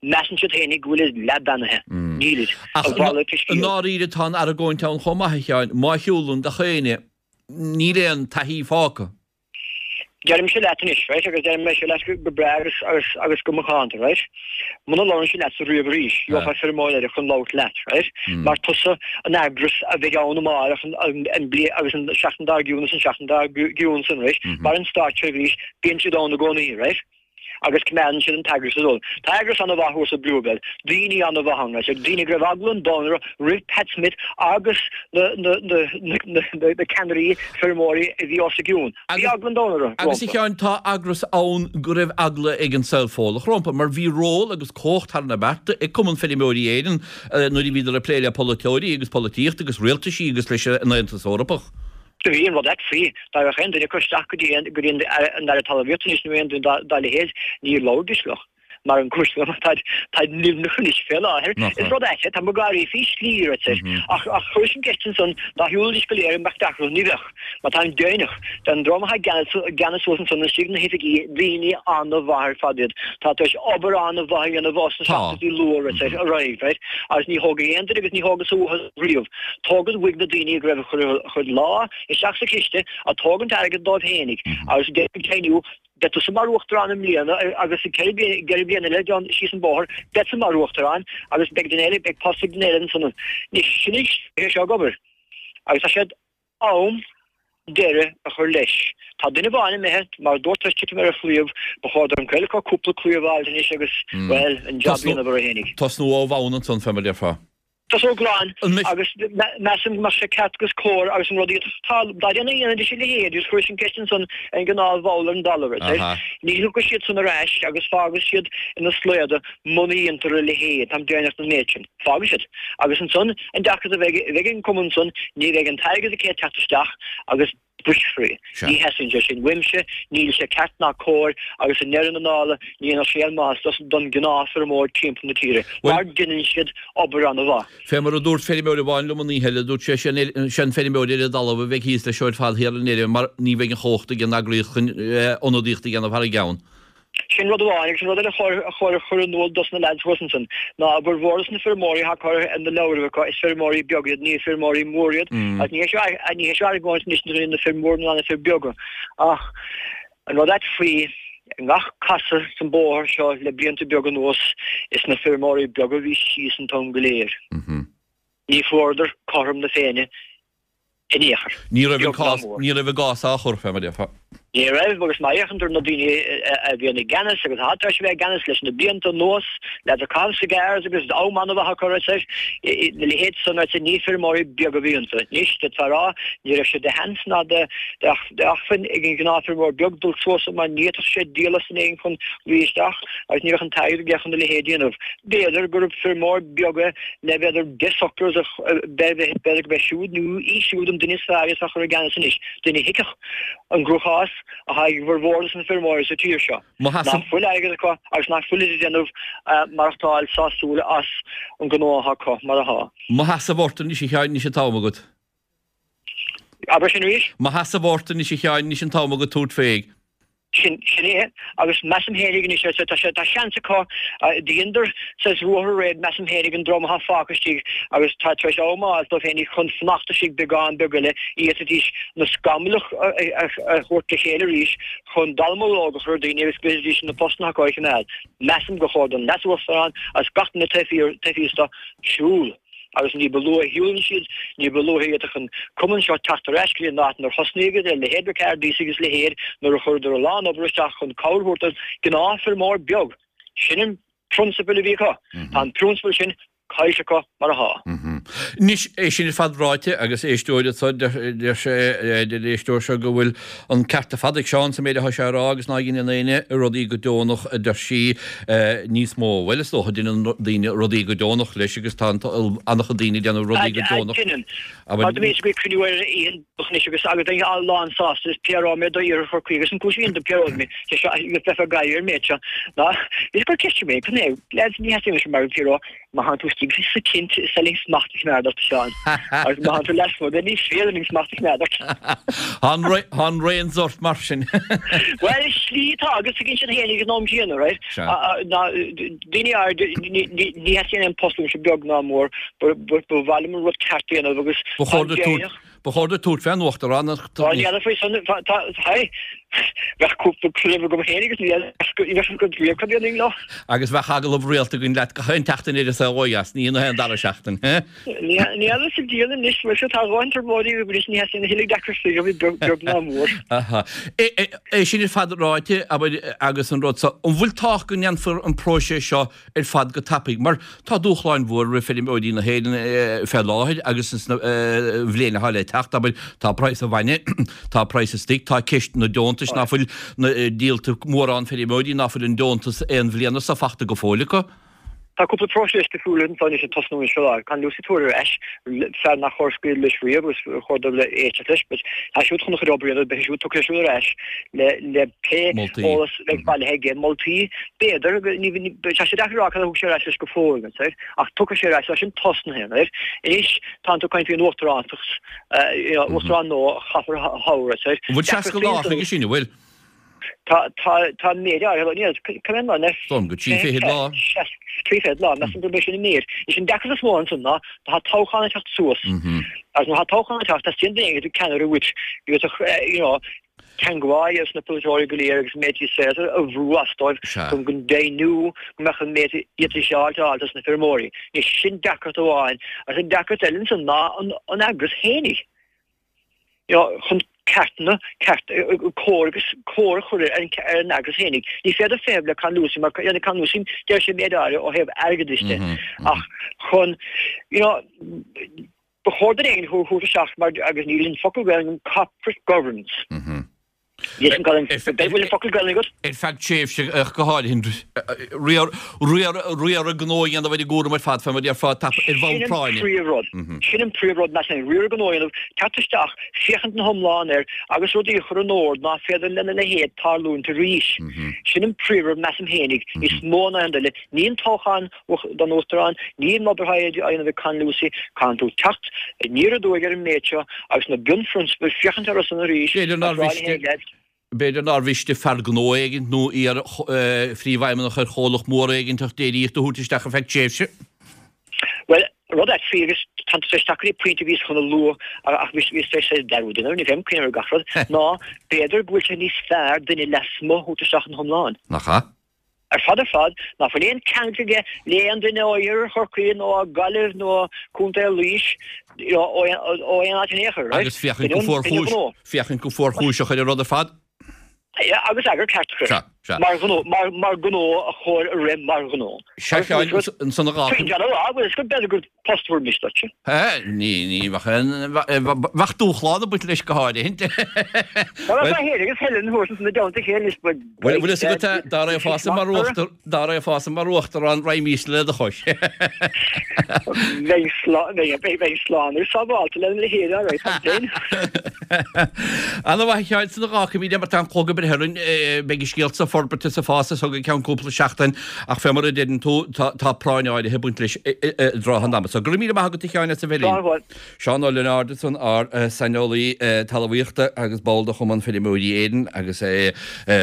measann siad féinig go bhfuilid leathbheannaithe. Nílid. Ach i ndáiríre tá an argóint ann chomh maith, a Sheáin, má shiúlann gach éinne, níl aon taithí fágtha. Deirimse leat anois, right, agus deirim é seo leat go breá agus, agus, agus go macánta, right, muna labhrann siad leatsa riamh arís, gheofá feirmeoir eile chun labhairt leat, right, mar tusa an eagras a bheidh ann amárach an, an, an bli, agus an seachtain dár gcionn agus an seachtain dár gcionn san, right, mar an státseirbhís, bíonn siad ann i gcónaí, right. agus coimeádann siad an t-eagras ag dul. Tá eagras an-mhaith thuas i Bluebell, daoine an-mhaith ann, right, daoine go raibh eagla an domhain orthu roimh Pat Smith agus na, na, na, na, na, na ceannairí feirmeoirí a bhí os a gcionn. Bhí eagla an domhain orthu, Agus a rompu. Sheáin, tá eagras ann go raibh eagla ag an saol Fódlach rompu, mar bhí ról agus cumhacht thar na bearta ag Cumann Feirmeoirí Éireann nuair a bhíodar ag plé le polaiteoirí agus polaitíocht agus rialtaisí agus leis an Aontas Eorpach. Do bhí an rud ait faoi, dá raghadh aon duine acu isteach go dtí go dtí an Aire Talmhaíochta anois nó aon duine dá leithéid, ní labhraídís leo. Mar an gcúis liom, táid, táid nimhneach anois fé láthair. Is rud ait é, tá mo gáirí faoi shlí, right, ach, ach chuiris an gceist ansan, dá shiúlfaidís go léir an mbeadh deacracht? Ní bheadh. Mar táim deimhneach, den dream atá i gceannas, i gceannas suas ansan istigh na hoifigí, daoine an-mhaith ar fad iad. Tá tar éis obair an-mhaith a dhéanamh os na seachtaidí luath, right, ar aghaidh, right, agus ní thógfaidh aon duine agus ní thógfadsa uathu riamh. Tógaint uaidh na daoine go raibh a chuid lámh isteach sa chiste ag tógaint airgead dóibh fhéinig agus ag deimhniú beidh tusa mar uachtarán i mbliana agus i gceithre bliana eile down síos an bóthar beidh tusa mar uachtarán agus beidh duine eile beidh post ag duine eile ansan. Anois sin é seo ag obair agus tá siad am deireadh a chur leis. Tá duine amháin imithe, mar a dúirt tar éis titim ar a chlaíomh, ba chóir don chuid acu cúpla claíomh a fháilt anois agus, bhuel, an jab a dhéanamh orthu fhéinig. Tosnú ó bhonn ansan, fé mar a déarfá. Tosnú glan agus measaim go mbeadh sé ceart agus cóir agus an rud iad tá dá ndéanfaí dhéanfaidís a leithéid agus chuiris an ceist ansan ar an ngnáthbhall ar an dtalamh ar ní thiocfaidh siad san ar ais agus fágfaidh siad ina slaoda muna dhéantar a leithéid táim deimhneach den méid sin fágfaidh siad agus ansan an deacracht a bheidh bheidh ag an cumann san ní bheidh an t-airgead ag teacht isteach agus brisfear é. Ní theastaíonn sé sin uaimse, níl sé ceart ná cóir agus i ndeireadh na dála ní dhéanfadh sé aon maitheas don ghnáthfheirmeoir timpeall na tíre mar deineann siad obair an-mhaith. Fé mar a dúirt feirmeoir amháin liom an oíche eile, dúirt sé, sé an feirmeoir ar an dtalamh a bheidh thíos leis seo ar fad thiar i ndeireadh mar ní bheidh an chumhacht ag an eagraíocht chun ionadaíocht a dhéanamh thar a gceann. Sin rud amháin, agus an rud eile a chóir a chur in iúl dos na leaids thuas ansan, ná a bhformhór dos na feirmeoirí atá curtha ar na leabhraibh acu, is feirmeoirí beaga iad, ní feirmeoirí móra iad, agus ní hé seo, ní hé seo argóint anois idir na fir mhóra ná na fir beaga, ach an rud ait faoi, i ngach casadh san bóthar seo le blianta beaga anuas, is na feirmeoirí beaga a bhí síos an t-am go léir. Ní fuaireadar cothrom na Féinne in aon chor. Ní raibh an cás, ní raibh a gcás á chur, fé mar a déarfá. Ní raibh, agus má fhéachann tú ar na daoine a bhíonn i gceannas agus atá tar éis a bheith i gceannas leis na blianta anuas, leaids ag caitheamh cigars agus am an-mhaith acu, arsa, na leithéid san, arsa, ní feirmeoirí beaga a bhí iontu. Anois, d'fhéadfá a rá, ní raibh sé de sheans ná de acmhainn ag an ghnáthfheirmeoir beag dul suas mar ní fhéadfadh sé díol as in éigin chun luí isteach agus ní bheadh an t-airgead aige chun a leithéid a dhéanamh. B'fhéidir gurb feirmeoir beag é le b'fhéidir 10 suckers a b'fhéidir go b'é siúd nó í siúd an duine is fearr a chur i gceannas anois, duine a thuigfeadh an gcruachás atá ag bhformhór de na feirmeoirí sa tír seo, nach fuil airgead acu agus nach fuilid ag déanamh maireachtáil sásúil as an ngnó atá acu mar atá. Mo sheasamh ort anois a Sheáin anois an t-am agat. Abair sin arís? Mo sheasamh ort anois a Sheáin anois an t-am agat tabhairt fé. Sin, sin é. Agus measaim fhéinig anois, arsa, tá sé, tá seans acu, dheineadar saghas ruathar réidh, measaim fhéinig, an dream atá fágtha istigh agus tá tar éis am a fháil dóibh fhéinig chun fanacht istigh beagán beag eile, fhéadfaidís na scamaill a, a, a thabhairt le chéile arís chun dallamullóg a chur ar daoine agus go bhféadfaidís na postanna acu a choimeád. Measaim gur chóir don Leas-Uachtarán agus gach duine taobh thiar, taobh thíos de, siúl. Agus ní ba luaithe a shiúlann siad, ní ba luaithe a fhéadfadh an cumann seo teacht ar ais go dtí an áit inar thosnaíodh iad, a leithéid Ricardis agus a leithéid, nuair a chuireadar a lán obair isteach chun cabhair a thabhairt don ghnáthfheirmeoir beag. Sin an prionsabal a bhí acu. Tá an prionsabal sin caillte acu mar atá. Anois, é sin ar fad ráite, agus éisteoir anseo, deir sé, deir an éisteoir seo go bhfuil an ceart ar fad ag Seán sa méid atá sé a rá agus ná dheineann éinne rudaí go deonach, a deir sí, níos mó. Bhuel, is dócha, deineann daoine rudaí go deonach leis agus tá an-chuid daoine ag déanamh rudaí go deonach. Deineann. Mar do bhíos ag cruinniú ar oíche anois agus agus bheinn lán-sásta is PRO mé d'iarthar Chorcaí agus an cúis a bhíonn do PRO mé sé seo agus bheifeá ag gáire ar an méid seo ná bhíos ag cur ceiste mé cad é lads ní theastaíonn uaimse mar PRO má tánn tú istigh sa tent selling smacht. smacht a choimeád ort, a Sheáin. Agus má thánn tú lasmuigh de, ní féidir linn smacht a choimeád ort. Tá an reins ort mar sin. Bhuel, slí atá agus tuigeann siad féin ag an am céanna, right? Sea. Ná daoine áirid, ní theastaíonn aon post uaimse beag ná mór, ba mhaith liom an rud ceart a dhéanamh agus Ba chóir duit tabhairt Ba chóir duit tabhairt fén uachtaránacht. Tá ní fheadar faoi san, tá, hey, bheadh cúpla craobh agam féin agus ní bheadh agam riamh cad dhéanfainn leo. Agus bheadh agallamh rialta againn leat gach aon tseachtain ar An Saol Ó Dheas, ní an dara seachtain, he? Ní fheadar sa diabhal anois, bhuel seo tá a dhóthain trioblóidí agam anois, ní theastaíonn a thuilleadh deacrachtaí uaim beag ná mór. Aha. É sin ar fad ráite, abair, agus an rud so, an bhfuil tábhacht go ndéanfar an próiseas seo ar fad go tapaidh, mar tá dúshláin mhór roimh feirmeoirí na hÉireann fé láthair agus ins na bhliain atá le teacht, abair, tá praghas an bhainne, tá praghas an stoic, tá ceist na deontais ná fuil díolta mórán feirmeoirí ná fuil an deontas aon bhliana so fachta go fóill acu. Tá cúpla próiseas difriúil anso anois ag tosnú anseo. Tá Con Lucey ag tabhairt ar ais, fear nach chóir scaoileadh leis riamh agus chóir dul éisteacht leis, but tá siúd chun a chuid obair a dhéanamh, beidh sé siúd, tiocfaidh sé siúd ar ais le le pé eolas a bheidh bailithe aige, moltaí, b'fhéidir, tá sé deacair a rá cad a thug sé ar ais leis go fóill, ach tiocfaidh sé ar ais, tá sin tosnaithe, right? Anois tánn tú ag caint faoin uachtarántacht, you know, uachtarán nua a chaithfear a thoghadh, right? An bhfuil 60 lá chuige sin, an bhfuil? Tá, tá, tá méid áirithe, níl, cá mhéad lá, Dom go trí fichid lá. 30 lá, measaim gurb é sin an méid. Is an deacracht is mó ansan ná, tá toghchán ag teacht suas. Agus nuair atá toghchán ag teacht, teastaíonn duine éigin ceannaire uait, agus, you know, teangmháil leis na polaiteoirí go léir agus an méid saothar a bhrú as dóibh chun go ndeimhniú go mbeadh an méid iad is áilte áilte as na feirmeoirí. Anois sin deacracht amháin. Agus an deacracht eile ansan ná an eagras fhéinig. You know, chun ceartanna, ceart, cóir agus cóir a chur ar an ar an eagras fhéinig. Ní féidir feitheamh le Con Lucey mar Con Lucey deir sé méid áirithe ó thaobh airgeadais de. Ach chun, you know, Ba chóir duine éigin a thabhairt isteach mar agus níl an focal Gaelainn agam corporate governance. Níl an bhfuil an focal Gaelainn agat? Ar feadh tréimhse ach go háirithe riaradh gnó a dhéanamh ar an gcúram ar fad fé mar a déarfá ar bhonn práinne. Sin an príomhrud. Sin an príomhrud measaim. Riaradh gnó a dhéanamh, teacht isteach, féachaint na hiomlán air agus rudaí a chur in ord ná féidir lena leithéid tarlúint arís. Sin an príomhrud measaim fhéinig, níos mó ná aon rud eile. Ní an toghchán don Uachtarán, ní an obair atá á dhéanamh ag Con Lucey, caitheann tú teacht aniar aduaidh ar an méid seo agus na bunphrionsabail féachaint orthu san arís B'fhéidir nár mhiste, b'fhéidir nár mhiste fear gnó éigint nó iar-phríomhfheidhmeannach ar chomhlacht mór éigint ach déiríocht a thabhairt isteach ar feadh tréimhse. Bhuel, rud é faoi agus tá tú tar éis teacht go dtí pointe a bhíos chun a lua ach bhíos tar éis dearúd a dhéanamh, ní bheinn cuimhneamh ar gach rud, ná b'fhéidir go bhfuil sé níos fearr duine lasmuigh a thabhairt isteach ina hiomlán. Nach ea? Ar fad ar fad, ná fuil aon ceangal aige le aon duine ó Iarthar Chorcaí nó ó Gaillimh nó ó Contae Laois, ó aon áit in aon chor, right? Agus féachaint go fuarchúis, féachaint go fuarchúiseach ar an rud ar fad. Yeah, agus eagar ceart a chur. Sea, sea. Mar ghnó, mar, mar ghnó a chóir a rith mar ghnó. Sea, Sheáin, ansan a dhá. Faoin deara, agus go b'fhéidir gur post bhur mis duit. Ní, ní bheadh aon, bheadh dúshlán ag baint leis go háirithe. Bhuel, tá féin agus Helen thuas ins na dteannta chéile anois, but Bhuel, bhfuil fhios agat, dá raghfása mar uachtar, dá raghfása mar uachtarán, raghaimísne le do chois. Bheinn slán, bheinn, bheinn slán agus sábháilte lena leithéid, all right, tá féin. Ana mhaith a Sheáin, san a dh'fhágfaimid é mar tá an clog ag breith orainn, beidh an scéal seo ag forbairt is ag fás as seo go ceann cúpla seachtain ach fé mar a deireann tú, tá, tá práinn áirithe ag baint leis i dtrátha an ama. So go raibh míle maith agat a Sheáin as a bheith linn. Slán uait. Seán Ó Lionáird ansan, ár saineolaí talmhaíochta agus ball de Chumann Feirmeoirí Éireann agus é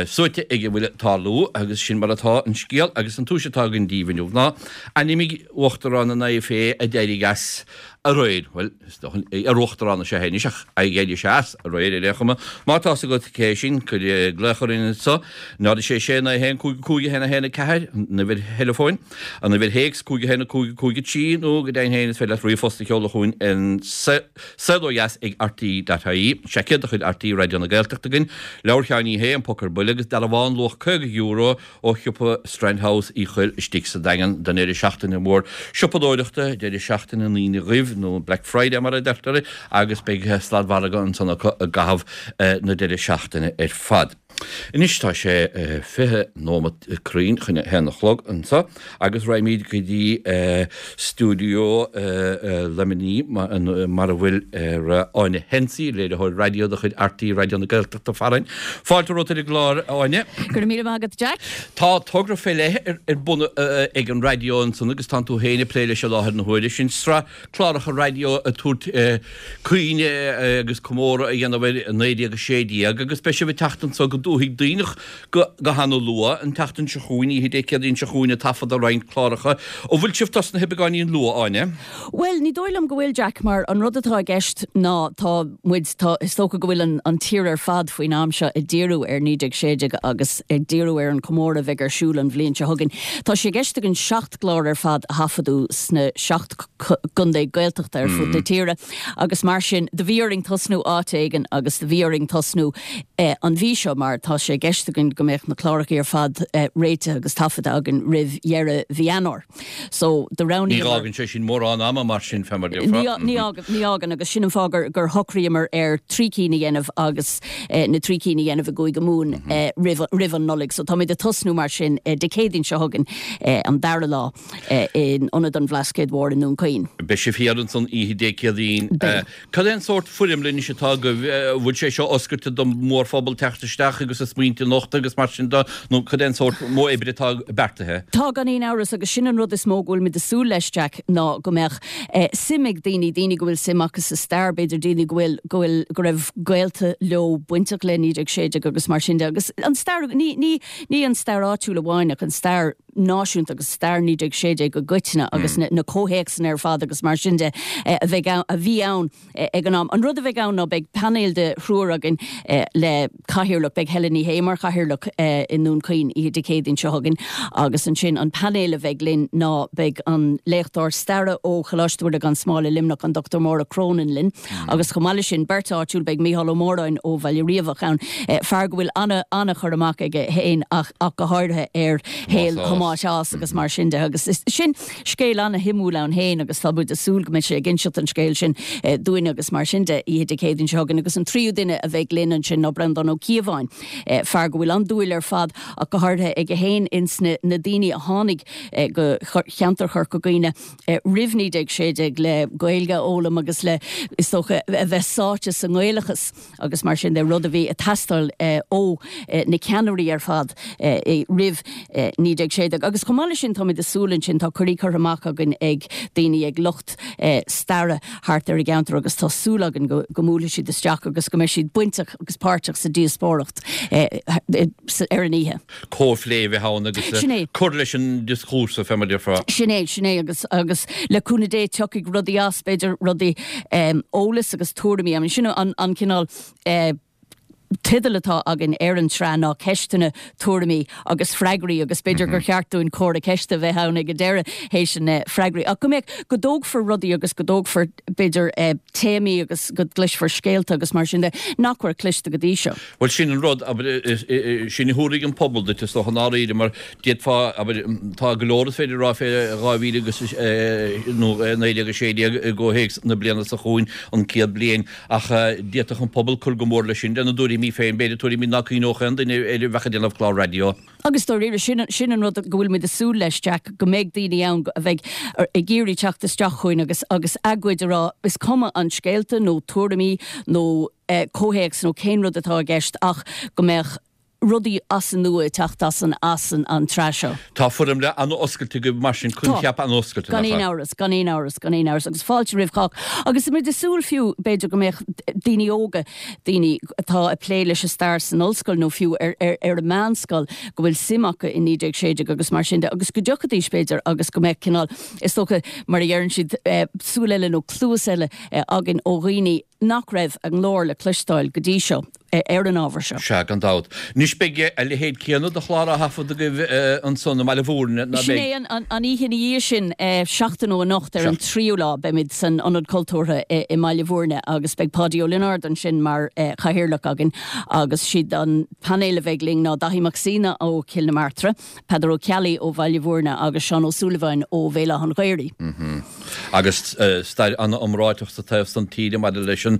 suaite ag a bhfuil ag tarlú agus sin mar atá an scéal agus an tomhais atá againn daoibh inniu ná ainmnigh Uachtarán an IFA a d'éirigh as aréir. Bhuel, is dócha, iar-uachtarán is ea é anois ach d'éirigh sé as aréir ar aon chuma. Má tá 's agat cé sin, cuir glaoch orainn anso, 0 6 6 9 1 5 5 1 1 4, an uimhir theileafóin, an uimhir théacs, 5 1 5 5 3, nó go deimhin féin is féidir leat ríomhphost a sheoladh chugainn an saol ó dheas ag rte.ie. Seaicéad de chuid RTÉ Raidió na Gaeltachta againn, leabhar Sheáin Uí Shé, An Poc ar Buile agus dearbhán luach €50 ó shiopa Strand House Uí Chuill istigh sa Daingean don deireadh seachtaine mór siopadóireachta, deireadh seachtaine an Aoine Dhuibh nó Black Friday mar a deirtear, agus beidh sladmhargadh ansan acu i gcaitheamh na deireadh seachtaine ar fad. Anois tá sé 20 nóimeat cruinn chun a haon a chlog anseo agus raghaimid go dtí stiúideo Luimnigh mar a bhfuil Áine Hensey, léiritheoir raidió de chuid RTÉ Raidió na Gaeltachta farainn. Fáilte romhat ar an gclár, a Áine. Go raibh míle maith agat, Jack. Tá togra fé leith ar bun ag an raidió ansan agus tánn tú féin ag plé leis i láthair na huaire, sin sraith cláracha raidió ag tabhairt cuimhne agus comóradh a dhéanamh ar 1916 agus beidh sibh ag teacht anso go Dúthaigh Duibhneach go hana-luath an tseachtain seo chugainn, oíche Dé Céadaoin seo chugainn ag taifeadadh roinnt cláracha. An bhfuil sibh tosnaithe beagáinín luath, Áine? Bhuel, ní dóigh liom go bhfuil, Jack, mar an rud atá i gceist ná tá muid, tá, is dócha go bhfuil an an tír ar fad faoin am seo ag díriú ar 1916 agus ag díriú ar an chomóradh a bheidh ar siúl an bhliain seo chugainn. Tá sé i gceist againn 7 gclár ar fad a thaifeadadh sna 7 gcontae Gaeltachta ar fud na tíre agus mar sin do bhí orainn tosnú áit éigin agus do bhí orainn tosnú an mhí seo mar tá sé i gceist againn go mbeadh na cláracha ar fad réitithe agus taifeadta againn roimh dheireadh mhí Eanáir. So do roghnaíomar. Ní fhágann sé sin mórán ama mar sin fé mar a déarfá. Ní fhágann, ní fhágann agus sin an fáth gur gur shocraíomar ar thrí cinn a dhéanamh agus na trí cinn a dhéanamh i gCúige Mumhan roimh roimh an Nollaig. So táimid ag tosnú mar sin Dé Céadaoin seo chugainn an dara lá in Ionad an Bhlascaoid Mhóir i nDún Chaoin. Beidh sibh thiar ansan oíche Dé Céadaoin. Beidh. Cad é an sórt foirmle anois atá agaibh? An bhfuil sé seo oscailte don mhórphobal teacht isteach agus a smaointe a nochtadh agus mar sin de nó cad é an sórt modh oibre atá beartaithe? Tá, gan aon amhras, agus sin an rud is mó go bhfuilimid ag súil leis, Jack, ná go mbeadh suim ag daoine, daoine go bhfuil suim acu sa stair, b'fhéidir daoine go bhfuil, go bhfuil, go raibh gaolta leo bainteach le 1916 agus mar sin de agus an stair, ní, ní, ní an stair áitiúil amháin ach an stair náisiúnta agus stair 1916 i gcoitinne agus na comhthéacsanna ar fad agus mar sin de a bheidh ann, a bhí ann ag an am. An rud a bheidh ann ná beidh painéal de thriúr againn le cathaoirleach, beidh Helen Ní Shé mar chathaoirleach i nDún Chaoin oíche Dé Céadaoin seo chugainn agus ansin an painéal a bheidh linn ná beidh an léachtóir staire ó Choláiste Mhuire gan Smál i Luimneach, an Dr Máire Cronin linn agus chomh maith leis sin beirt áitiúil, beidh Mícheál Ó Móráin ó Bhaile Riabhach ann, fear go bhfuil an-chur amach aige féin ach ach go háirithe ar shaol Thomáis Ághas agus mar sin de agus sin scéal an-shuimiúil ann féin agus tá muid ag súil go mbeidh sé ag inseacht an scéil sin dúinn agus mar sin de oíche Dé Céadaoin seo chugainn agus an tríú duine a bheidh linn ansin ná Breandán Ó Cíobháin, fear go bhfuil an-dúil ar fad ach go háirithe aige féin ins na daoine a tháinig go cheantar Chorca Dhuibhne roimh 1916 le Gaeilge a fhoghlaim agus le, is dócha, a bheith sáite sa nGaelachas. agus mar sin de, rud a bhí ag teastáil ó na ceannairí ar fad roimh 1916. Agus chomh maith leis sin, táimid ag súil ansin, tá cuirí curtha amach againn ag daoine, ag lucht staire thart ar an gceantar agus tá súil againn go mbuailfidh siad isteach agus go mbeidh siad bainteach agus páirteach sa díospóireacht ar an oíche. comhphlé a bheith ann agus Sin é. cur leis an dioscúrsa, fé mar a déarfá. Sin é, sin é agus, agus le cúnamh Dé tiocfaidh rudaí as, b'fhéidir rudaí, eolas agus tuairimí, I mean sin an, an cineál teideal atá againn ar an tsraith ná ceisteanna, tuairimí agus freagraí agus b'fhéidir gur cheart dúinn comhra ceiste a bheith ann ag an deireadh théis na freagraí ach go mbeadh, go dtógfar rudaí agus go dtógfar b'fhéidir téamaí agus go gcloisfear scéalta agus mar sin de nach raibh cloiste go dtí seo. Bhuel, sin an rud, abair, sin a thabharfaidh an pobal duit, is dócha, i ndáiríre, mar d'fhéadfá, abair, tá go leor is féidir a rá fé 2000 agus, nó 1916 i gcomhthéacs na bliana seo chugainn, an 100 bliain, ach d'fhéadfadh an pobal cur go mór leis sin, lena dtuairimí féin, b'fhéidir, tuairimí ná cuimhneodh aon duine air a bheadh ag déanamh clár raidió. Agus dáiríre, sin, sin an rud go bhfuil muid ag súil leis, Jack, go mbeidh daoine ann a bheidh ag iarraidh teacht isteach chugainn agus, agus a gcuid a rá, is cuma an scéalta nó tuairimí nó comhthéacs nó cén rud atá i gceist ach go mbeadh rudaí as an nua ag teacht as an, as an, an tsraith seo. Tá foirmle an-oscailte agaibh mar sin, coincheap an-oscailte, nach ea? Gan aon amhras, gan aon amhras, gan aon amhras agus fáilte roimh chách. Agus tá muid ag súil fiú, b'fhéidir go mbeadh daoine óga, daoine atá ag plé leis an stair san ollscoil nó fiú ar, ar, ar an meánscoil go bhfuil suim acu i 1916 agus mar sin de agus go dtiocfaidís b'fhéidir agus go mbeadh cineál, is dócha, mar a deireann siad, súil eile nó cluas eile againn ó dhaoine nach raibh a nglór le cloisteáil go dtí seo ar an ábhar seo. Sea, gan dabht. Anois beidh a leithéid céanna de chlár á thaifead agaibh ansan i mBaile Mhúirne, ná Sin beidh? é, an oíche ina dhiaidh sin, seachtain ó anocht, ar an tríú lá, beimid san Ionad Cultúrtha i mBaile Mhúirne agus beidh Páidí Ó Lionáird ansin mar chathaoirleach againn agus siad an painéal a bheidh linn ná Daithí Mac Suibhne ó Chill na Martra, Peadar Ó Ceallaigh ó Bhaile Mhúirne agus Seán Ó Súilleabháin ó Bhéal Átha an Ghaorthaidh. Agus stair an-iomráiteach sa taobh san tíre maidir leis an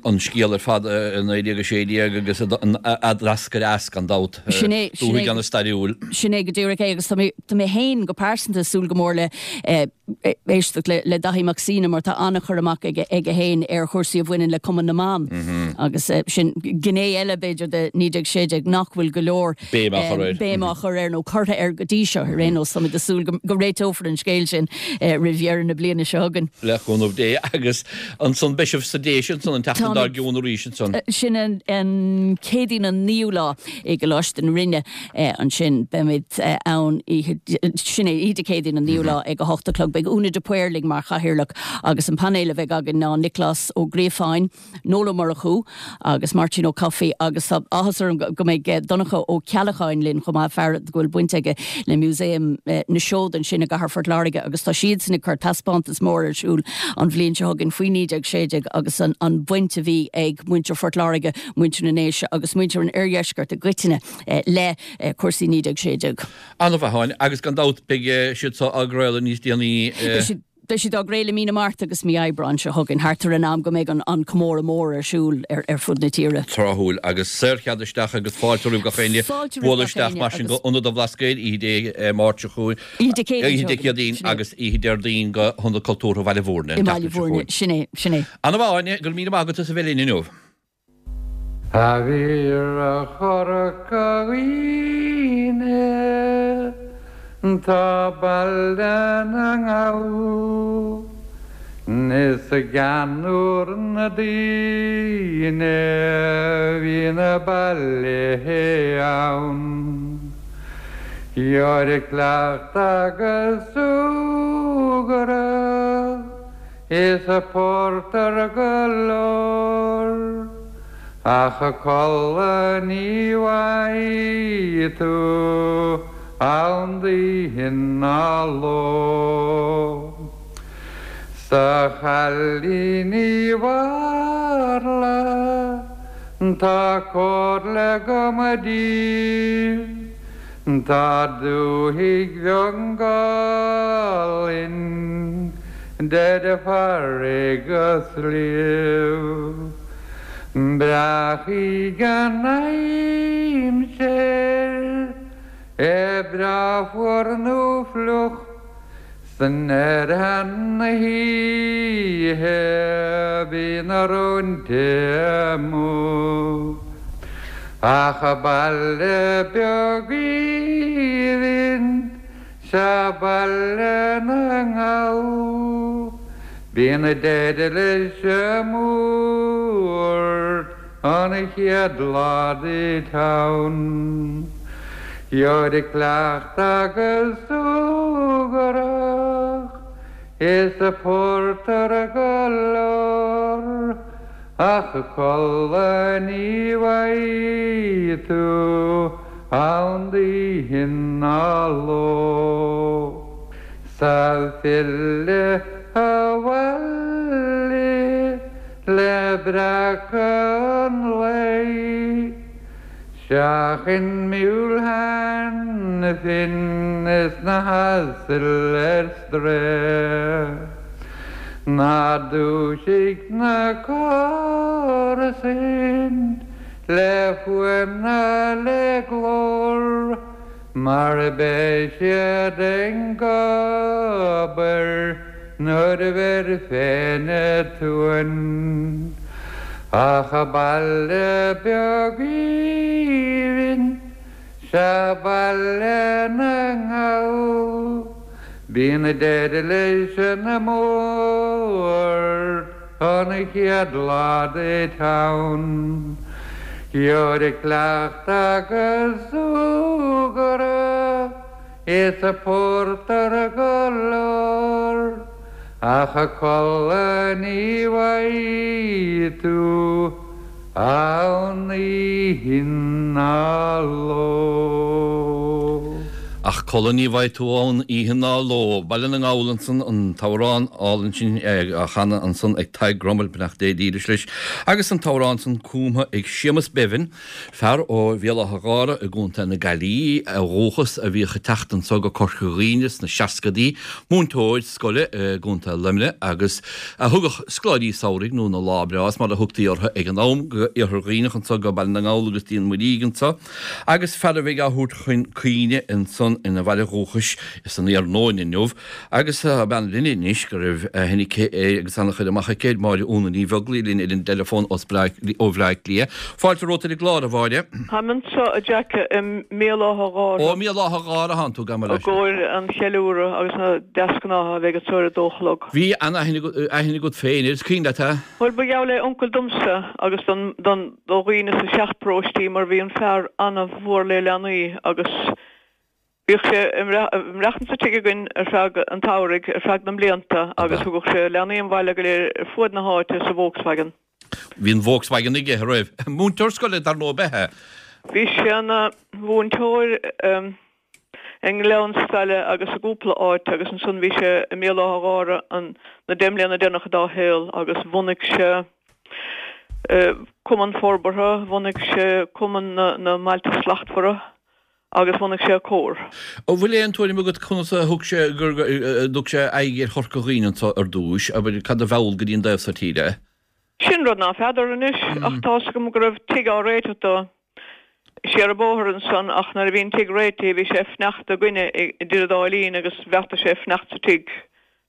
an scéal ar fad i 1916 agus a d'eascair as, gan dabht. Sin é, sin é. Dúthaigh an-stairiúil. Sin é go díreach é agus tá mé, tá mé féin go pearsanta ag súil go mór le éisteacht le Daithí Mac Suibhne mar tá an-chur amach aige aige féin ar chúrsaí a bhaineann le Cumann na mBan agus sin gné eile b'fhéidir de 1916 nach bhfuil go leor Béim á chur air. béim á chur air nó curtha air go dtí seo ar aon nós. Táimid ag súil go réiteofar an scéal sin roimh dheireadh na bliana seo chugainn. Le cúnamh Dé. Agus ansan beidh sibh sa Déise ansan an tseachtain dár gcionn arís ansan. Sin an Céadaoin an 9ú lá i gColáiste na Rinne ansin. Beimid ann oíche, sin é, oíche Dé Céadaoin an 9ú lá ag 8 a chlog. Beidh Úna de Paor linn mar chathaoirleach agus an painéal a bheidh againn ná Nioclás Ó Gríofáin, Noel Ó Murchú agus Máirtín Ó Cofaigh agus tá áthas orm go mbeidh Donncha Ó Ceallacháin linn chomh maith, fear go bhfuil baint aige le Músaem na Seod ansin i gcathair Phort Láirge agus tá siadsan ag cur taispeántas mór ar siúl an bhliain seo chugainn faoi 1916 agus an bhaint a bhí ag muintir Phort Láirge, muintir na nDéise agus muintir an oirdheiscirt i gcoitinne le cúrsaí 1916. An-mhaith, Áine, agus gan dabht beidh siad seo á gcraoladh níos déanaí. Beidh siad á gcraoladh mí na Márta agus mí Aibreáin seo chugainn, thart ar an am go mbeidh an comóradh mór ar siúl ar fud na tíre. Tráthúil agus saorchead isteach agus fáilte roimh gach éinne bualadh isteach mar sin go Ionad an Bhlascaoid oíche Dé Máirt seo chugainn, Oíche Dé Céadaoin seo chugainn, Céadaoin agus oíche Déardaoin go hIonad Cultúrtha Bhaile Bhúirne an tseachtain seo chugainn. Sin é, sin é. An-mhaith Áine, go raibh míle maith agat as a bheith linn inniu. A mhíre Chorca Dhuibhne tá Baile na nGall Is i gceannúr na daoine bhí na bailithe ann. Gheobhair cleachtadh agus súgradh Is a pórtar go leor, ach a codladh ní bhfaighidh tú ann d'oíche ná ló. 'S a chailín Uí Mharla tá comhairle agam daoibh. Tá dúthaigh bheag álainn idir farraige 's sliabh. Breacfaidh an aimsir, é breá fuar nó fliuch, 's nuair atá na hoíche bíonn na róinte amuigh. Ach baile beag aoibhinn 'sea Baile na nGall, bíonn deireadh leis an mbuairt an chéad lá duit ann. Gheobhair cleachtadh agus súgradh is pórtar go leor, ach codladh ní bhfaighidh tú ann d'oíche ná ló. 'S a filleadh abhaile le breacadh an lae. Seachain miúil Hanafin is na hasail ar strae. Ná dúisigh na comharsain le fuaim ná le glór mar beidh siad ag obair nuair a bheir féin uain. Ach baile beag aoibhinn 'sea Baile na nGall, bíonn deireadh leis an mbuairt an chéad lá duit ann. Gheobhair cleachtadh agus súgradh Is pórtar go leor, ach codladh ní bhfaighidh tú ann oíche ná ló. Ach codladh ní bhfaighidh tú ann oíche ná ló. Baile na nGall ansan, an t-amhrán álainn sin á chanadh ansan ag Tadhg Grummell, beannacht Dé dhílis leis, agus an t-amhrán san cumtha ag Séamus Bevin, fear ó Bhéal Átha Ghártha i gContae na Gaillimhe ó dhúchas a bhíodh ag teacht anso go Corca Dhuibhne sna seascadaí, múinteoir scoile i gContae Luimnigh agus a thugadh scoláirí samhraidh nó na Lá Breás mar a thugtaí orthu ag an am go Iarthar Dhuibhneach anso go Baile na nGall agus dtí an Mhuirígh anso. Agus fear a bheidh á thabhairt chun cuimhne ansan ina bhaile dhúchais san iarnóin inniu, agus tá bean linn anois go raibh aithne aici air agus an-chur amach aici air, Máire Úna Ní Bheaglaoich linn ar an dteileafón ó Bhleá Cliath. Fáilte romhat ar an gclár, a Mháire. Táim anso, a Jack, i mBéal Átha Ghártha. Ó, i mBéal Átha Ghártha atánn tú, gabh mo I gcomhair an cheiliúradh agus na deasghnátha a bheidh anso ar a dó a chlog. Bhí an-aithne agat féin air, is cuimhin leat é? Bhuel, ba gheall le uncail domsa agus don, don, do dhaoine sa seacht bparóistí mar bhí an fear ana-mhór le leanaí agus bhíodh sé ag maireachtaint sa tigh againn ar feadh an tsamhraidh ar feadh na mblianta agus thugadh sé leanaí an bhaile go léir ar fuaid na háite sa Volkswagen. Bhí an Volkswagen aige, a raibh? Múinteoir scoile dar ndóigh ab ea é? Bhí sé ina mhúinteoir i nGleann Saile agus i gcúpla áit agus ansan bhí sé i mBéal Átha Ghártha an na deich mbliana deireanacha dá shaol agus bhunaigh sé Cumann Forbartha, bhunaigh sé Cumann na na mBailte Slachtmhara agus bhunaigh sé Comhar. An bhfuil aon tuairim agat conas a thug sé gur dtug sé aghaidh ar Chorca Dhuibhne anso ar dtúis, abair, cad a mheall go dtí an dtaobh so tíre é? Sin rud ná feadar anois ach tá's agam go raibh tigh á réiteach dó. Siar an bóthar ansan ach nuair a bhí an tigh réitithe bhí sé ag fanacht againne idir an dá linn agus bheartaigh sé fanacht sa tigh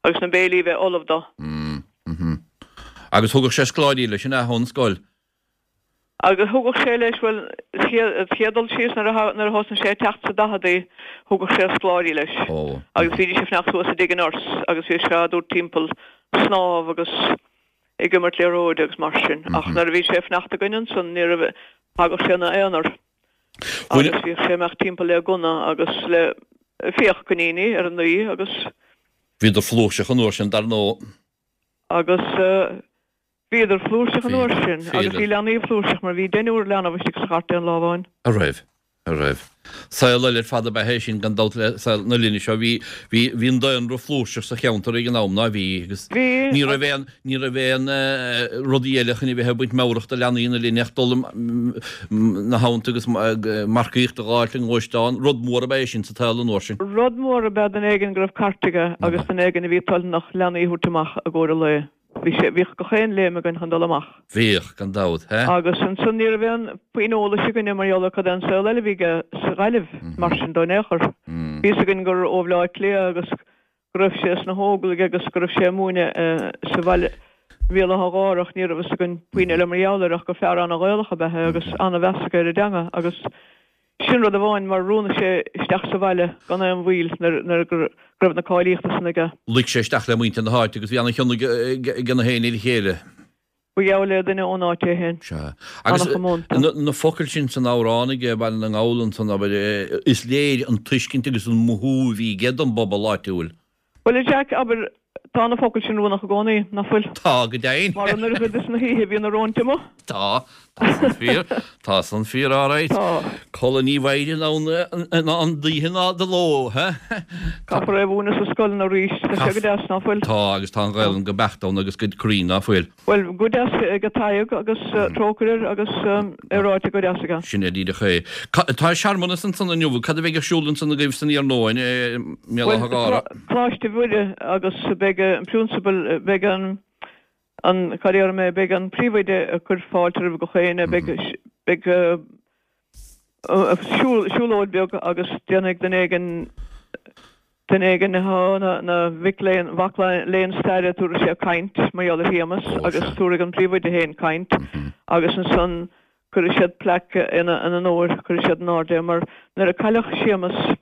agus na béilí a bheith ullamh dó. Mm. Agus thugadh sé scoláirí leis an ea ón scoil? Agus thugadh sé leis, bhuel, an chéad dul síos nuair a nuair a thosnaigh sé ag teacht sa daicheadaí thugadh sé scoláirí leis agus bhídís ag fanacht thuas i dtigh an nurse agus bhíodh sé á dtabhairt timpeall snámh agus ag imirt liathróide agus mar sin. Ach nuair a bhí sé ag fanacht againn ansan ní raibh, thagadh sé ina aonar agus bhíodh sé ag imeacht timpeall le gunna agus le fiach coiníní ar ndóigh agus. Bhíodar flúirseach an uair sin dar ndóigh. Agus bhíodar flúirseach an uair sin agus bhí leanaí flúirseach mar bhí deichniúr leanbh istigh sa chairt aon lá amháin. A raibh. A raibh. Saol eile ar fad ab ea é sin gan dabht le saol na linne seo. Bhí, bhí, bhí an daonra flúirseach sa cheantar ag an am, ná bhí, agus Bhí, ní raibh aon, ní raibh aon rudaí eile chun a bheith ag baint meabhrach do leanaí na linne ach dul na habhanta agus marcaíocht a ghabháilt i ngluaisteán. Rud mór ab ea é sin sa tsaol an uair sin. Rud mór ab ea duine éigin go raibh cairt aige agus duine éigin a bhí toilteanach leanaí a thabhairt amach i gcomhair an lae. Bhí sé, bhíodh gach aon léim againn chun dul amach. Bhíodh, gan dabht, he? Agus ansan ní raibh aon phuinn eolais againne mar gheall ar cad é an saol eile a bhí aige sa Ghaillimh, mar sin dó in aon chor. Bhí fhios againn gur ó Bhleá Cliath agus go raibh sé sna hÓglaigh agus go raibh sé ag múineadh sa bhaile, Bhéal Átha Ghártha ach ní raibh fhios againn puinn eile mar gheall air ach gur fear ana-Ghaelach ab ea é agus ana-mheas aige ar an dteanga agus Sin rud amháin mar roghnaigh sé isteach sa bhaile gan aon mhoill nuair go raibh na cáilíochta san aige. Luigh sé isteach le muintir na háite agus bhí ana-chion ag na héinne ar a chéile. Ba gheall le duine ón áit é féin. Sea. Agus na focail sin san amhrán aige, Baile na nGall ansan, abair, is léir an tuiscint agus an mothú a bhí aige don bpobal áitiúil. Bhuel, a Jack, abair, tá na focail sin oiriúnach i gcónaí, nach bhfuil? Tá, go deimhin. Mar an oiread is na hoíche bhíonn na róinte amuigh. Tá, tá san fíor, tá san fíor, alright. Tá. Codladh ní bhfaighir ann ann d'oíche ná de ló, he? Caithfear é a mhúineadh sa scoileanna arís, tá sé go deas, ná fuil? Tá, agus tá an Ghaelainn go beacht ann agus go cruinn, ná fuil? Bhuel, go deas ag Tadhg agus trócaire air agus é ráite go deas aige. Sin é díreach é. Tá searmanas ansan inniu. Cad a bheidh ar siúl ansan agaibh san iarnóin i mBéal Átha Ghártha? Bhuel, Coláiste Mhuire agus beidh an prionsabal, beidh an, an, cad a déarfaidh mé, beidh an príomhoide ag cur fáilte roimh gach éinne, beidh, beidh siúlóid beag agus déanfaidh duine éigin, duine éigin atá na mhic léinn, mhac léinn staire, tabharfaidh sé caint mar gheall ar Shéamus agus tabharfaidh an príomhoide féin caint agus ansan cuirfidh siad plaic ina onóir, cuirfidh siad in airde é mar nuair a cailleadh Séamus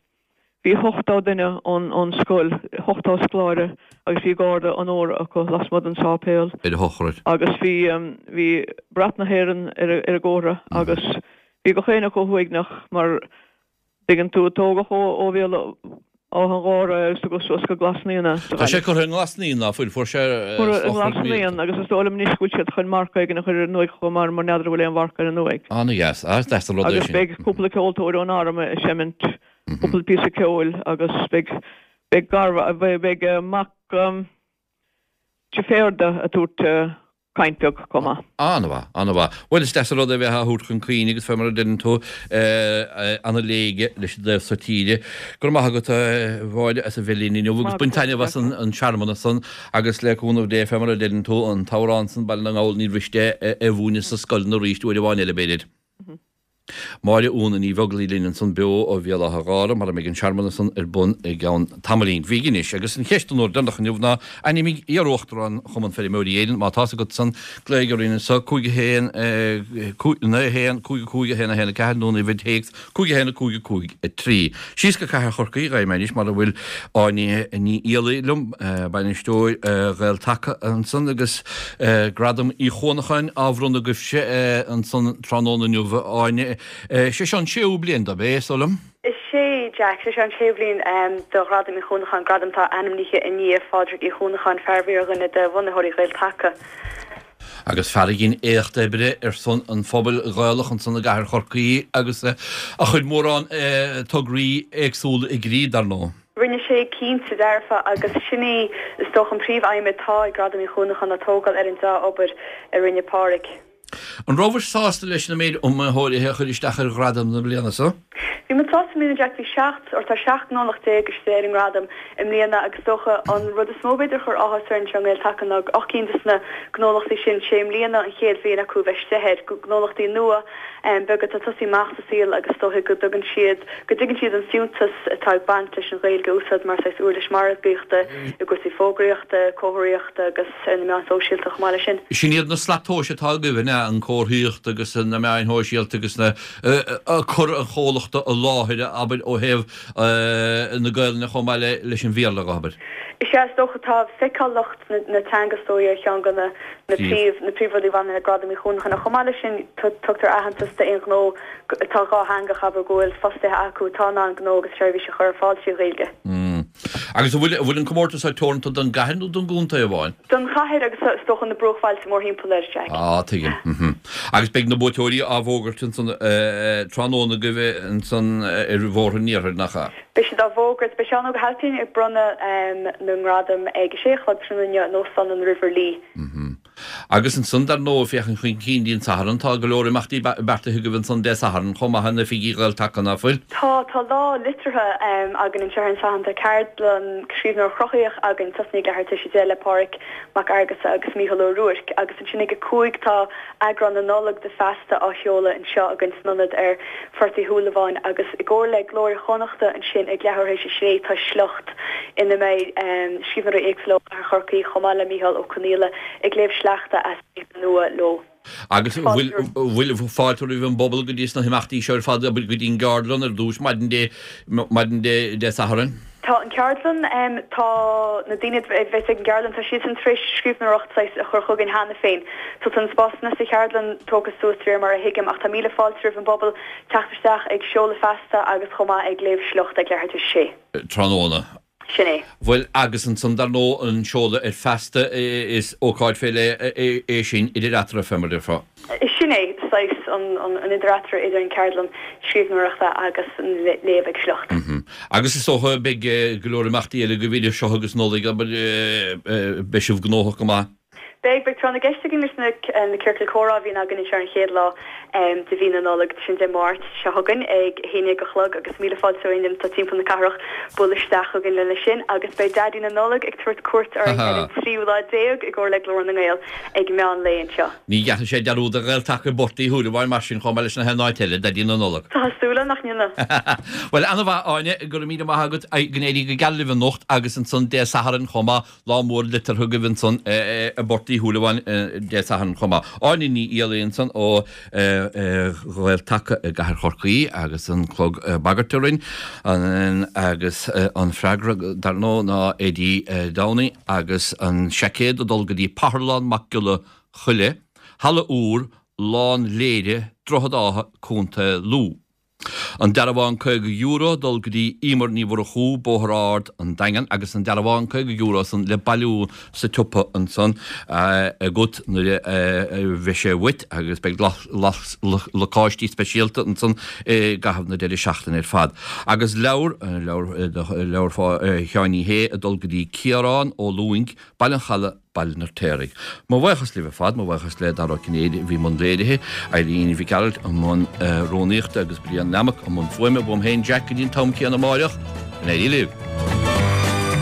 Bhí ochtó duine ón scoil, ochtó scoláire agus bhí garda onóra acu lasmuigh den sáipéal. Ar a shochraid. Agus bhí, bhí brat na hÉireann ar an gcomhartha agus bhí gach éinne chomh huaigneach mar, dtuigeann tú, tógadh ó Bhéal Átha an Ghártha é agus tugadh suas go Glas Naíon é sa Tá sé curtha i nGlas Naíon, ná fuil? Fuair sé Curtha i nGlas Naíon agus is dóigh liom anois go bhfuil siad chun marc éigin a chur ar an uaigh chomh maith mar n'fheadar an bhfuil aon mharc ar an uaigh. Ana-dheas. Ah, is deas an rud é sin. Agus beidh cúpla ceoltóir ón arm ag seimint. Cúpla píosa ceoil agus beidh beidh gar beidh mac deirféar ag tabhairt caint beag chomh maith. An-mhaith, an-mhaith. Bhuel, is deas an rud é bheith á thabhairt chun cuimhne agus fé mar a deireann tú, ana-léige leis an dtaobh so tíre. Go raibh maith agat, a Mháire, as a bheith linn inniu agus bain taitneamh as an searmanas san agus le cúnamh Dé, fé mar a deireann tú, an t-amhrán san, Baile na nGall, Ní mhiste é a mhúineadh sna scoileanna arís uair amháin eile, b'fhéidir. Máire Úna Ní Bheaglaoich linn ansan beo ó Bhéal Átha Ghártha mar a mbeidh an searmanas san ar bun i gceann tamaillín bhig anois. Agus an cheist an uair deireanach inniu ná, ainmnigh iar-Uachtarán Chumann Feirmeoirí Éireann, má tá's agat san, glaoigh orainn anso, 5 1 9 1 5 5 1 1 4 nó an uimhir téacs 5 1 5 5 3. Síos go Cathair Chorcaí ghabhfaidh mé anois mar a bhfuil Áine Ní Fhiallaigh liom, bainisteoir Ghael-Taca ansan agus Gradam Uí Chuanacháin á bhronnadh agaibhse ansan tráthnóna inniu, a Áine. Sé seo an séú bliain dob é, is dóigh liom? Is é, Jack. Sé seo an séú bliain do Ghradam Uí Chuanacháin, gradam atá ainmnithe i ndiaidh Phádraig Uí Chuanacháin, fear a bhí ar dhuine de bhunaitheoirí Ghael-Taca. Agus fear a dhein éacht oibre ar son an phobail Ghaelach ansan i gcathair Chorcaí agus a chuir mórán tograí éagsúla i gcrích, dar ndóigh. Rinne sé cinnte dearfa agus sin í is dócha an príomh-aidhm atá ag Gradam Uí Chuanacháin ná tógáil ar an dea-obair a rinne Páraic. An rabhais sásta leis na méid iomaitheoirí a chuir isteach ar ghradam na bliana seo? Bhí muid sásta i mbliana Jack, bhí 17 or tá 17 ngnólacht istigh ar an ngradam i mbliana agus is dócha an rud is mó b'fhéidir a chuir áthas orainn anseo i nGael-Taca ná 8 gcinn de sna gnólachtaí sin, sé i mbliana an chéad bhliain acu bheith istigh air, gnólachtaí nua beaga atá ag tosaí amach sa saol agus is dóigh go dtugann siad, go dtuigeann siad an fiúntas atá ag baint leis an Ghaeilge a úsáid mar saghas uirlis margaíochta i gcúrsaí fógraíochta, comharthaíochta agus ar na meáin shóisialta chomh maith leis sin. Sin iad na slat tomhais atá agaibh, an ea? An comharthaíocht agus na meáin shóisialta agus na, cur an chomhlachta i láthair, abair, ó thaobh na Gaelainne chomh maith leis an Bhéarla, abair. Is ea, is dócha. Tá feiceálacht na teanga is dóigh ar cheann de na príomh, na príomhrudaí a bhaineann le Gradam Uí Chuanacháin. Ach chomh maith leis sin, tugtar aitheantas d'aon ghnó atá dhátheangach, abair, go bhfuil fostaithe acu atá in ann gnó agus seirbhís a chur ar fáil trí Ghaeilge. Agus an bhfuil, an bhfuil an comórtas seo teoranta don gcathair nó don gcontae amháin? Don chathair agus is dócha na bruachbhailte mórthimpeall air, Jack. Ah, tuigim. Mhm. Agus beidh na buaiteoirí á bhfógairt ansan tráthnóna agaibh ansan ar Bhóthar an Iarthair, nach ea? Beidh siad á bhfógairt. Beidh Seán Óg Ó hAilpín ag bronnadh na ngradam ag a sé a chlog tráthnóna inniu in Óstán an River Lee. Mhm. Agus ansan, dar ndóigh, féachaint chun cinn dtí an Satharn, tá go leor imeachtaí beartaithe agaibh ansan Dé Sathairn chomh maith in oifigí Ghael-Taca, ná fuil? Tá, tá lá liteartha againn anseo ar an Satharn. Tá ceardlann scríbhneoireacht chruthaitheach againn, tosnaíonn ag leathuair tar éis a 10 le Páraic Mac Fhearghusa agus Mícheál Ó Ruairc. Agus ansin ag a 5 tá eagrán na Nollag de Feasta á sheoladh anseo againn san ionad ar Phort Uí Shúilleabháin agus i gcomhar le Glór Chonnachta ansin ag leathuair tar éis a sé tá Sliocht ina mbeidh scríbhneoirí éagsúla ó Chathair Chorcaí chomh maith le Mícheál Ó Conghaile ag léamh sleachta as saothar nua leo. Agus an bhfuil fáilte roimh an bpobal go dtí sna himeachtaí seo ar fad, go dtí an gceardlann ar dtús maidin Dé maidin Dé Sathairn? Tá an ceardlann, tá na daoine a bheas ag an gceardlann, tá siadsan tar éis scríbhneoireacht saghas a chur chugainn cheana féin. So tá na spásanna sa cheardlann tógtha suas de réir mar a thuigim ach tá míle fáilte roimh an bpobal teacht isteach ag seoladh Feasta agus chomh maith ag léamh sliocht ag leathuair tar éis a sé. Tráthnóna. Sin é. Bhuel agus ansan dar ndóigh an seoladh ar Feasta is ócáid fé leith é sin idir eatarthu fé mar a déarfá. Sin é saghas an idir eatarthu idir an ceardlann scríbhneoireachta agus an léamh ag sliocht. Agus is dócha beidh go leor imeachtaí eile agaibh idir seo agus Nollaig, abair, beidh sibh gnóthach go maith. Beidh, beidh tráth na gceist againn leis na ciorcail comhrá a bhíonn againn anseo ar an chéad lá de mhí na Nollag, sin Dé Máirt seo chugainn ag a haon dhéag a chlog agus míle fáilte ó éinne atá timpeall na cathrach bualadh isteach chugainn lena sin agus beidh Daidí na Nollag ag tabhairt cuairt orainn ar an tríú lá déag i gcomhar le Glór na nGael ag meán lae anseo. Ní ghearrfaidh sé dearúd ar Ghael-Taca i bPort Uí Shúilleabháin mar sin chomh maith leis na haon áit eile, Daidí na Nollag. Tá súil agam nach ndéanfaidh. Bhuel, ana-mhaith, Áine, go raibh míle maith agat, go n-éirí go geal libh anocht agus ansan Dé Sathairn chomh maith, lá mór liteartha agaibh ansan i bPort Uí Shúilleabháin Dé Sathairn chomh maith. Áine Ní Fhiallaigh ansan ó Ghael-Taca i gCathair Chorcaí agus an clog ag bagairt orainn agus an freagra dar ndóigh ná Eddie Downey agus an seaicéad ag dul go dtí Partharlann Mac Giolla Choille, Halla Úr, Lán Léire, Droichead Átha, Co. Lú. An dearbhán €50 ag dul go dtí Emer Ní Mhurchú, Bóthar Ard, An Daingean agus an dearbhán €50 san le bailiú sa tsiopa ansan agat nuair a bheidh sé uait agus beidh lacáistí speisialta ansan i gcaitheamh na deireadh seachtaine ar fad. Agus leabhar, leabhar Sheáin Uí Shé ag dul go dtí Ciarán Ó Lúing, Baile an Chalaidh, Baile an Fheirtéaraigh. Mo bhuíochas libh ar fad, mo bhuíochas le Dara Ó Cinnéide a bhí i mbun léirithe, Eileen Mhic Gearailt i mbun rúnaíochta agus Brian Lammock i mbun fuaime. Uaim féin Jack go dtí an t-am céanna amáireach, go n-éirí libh!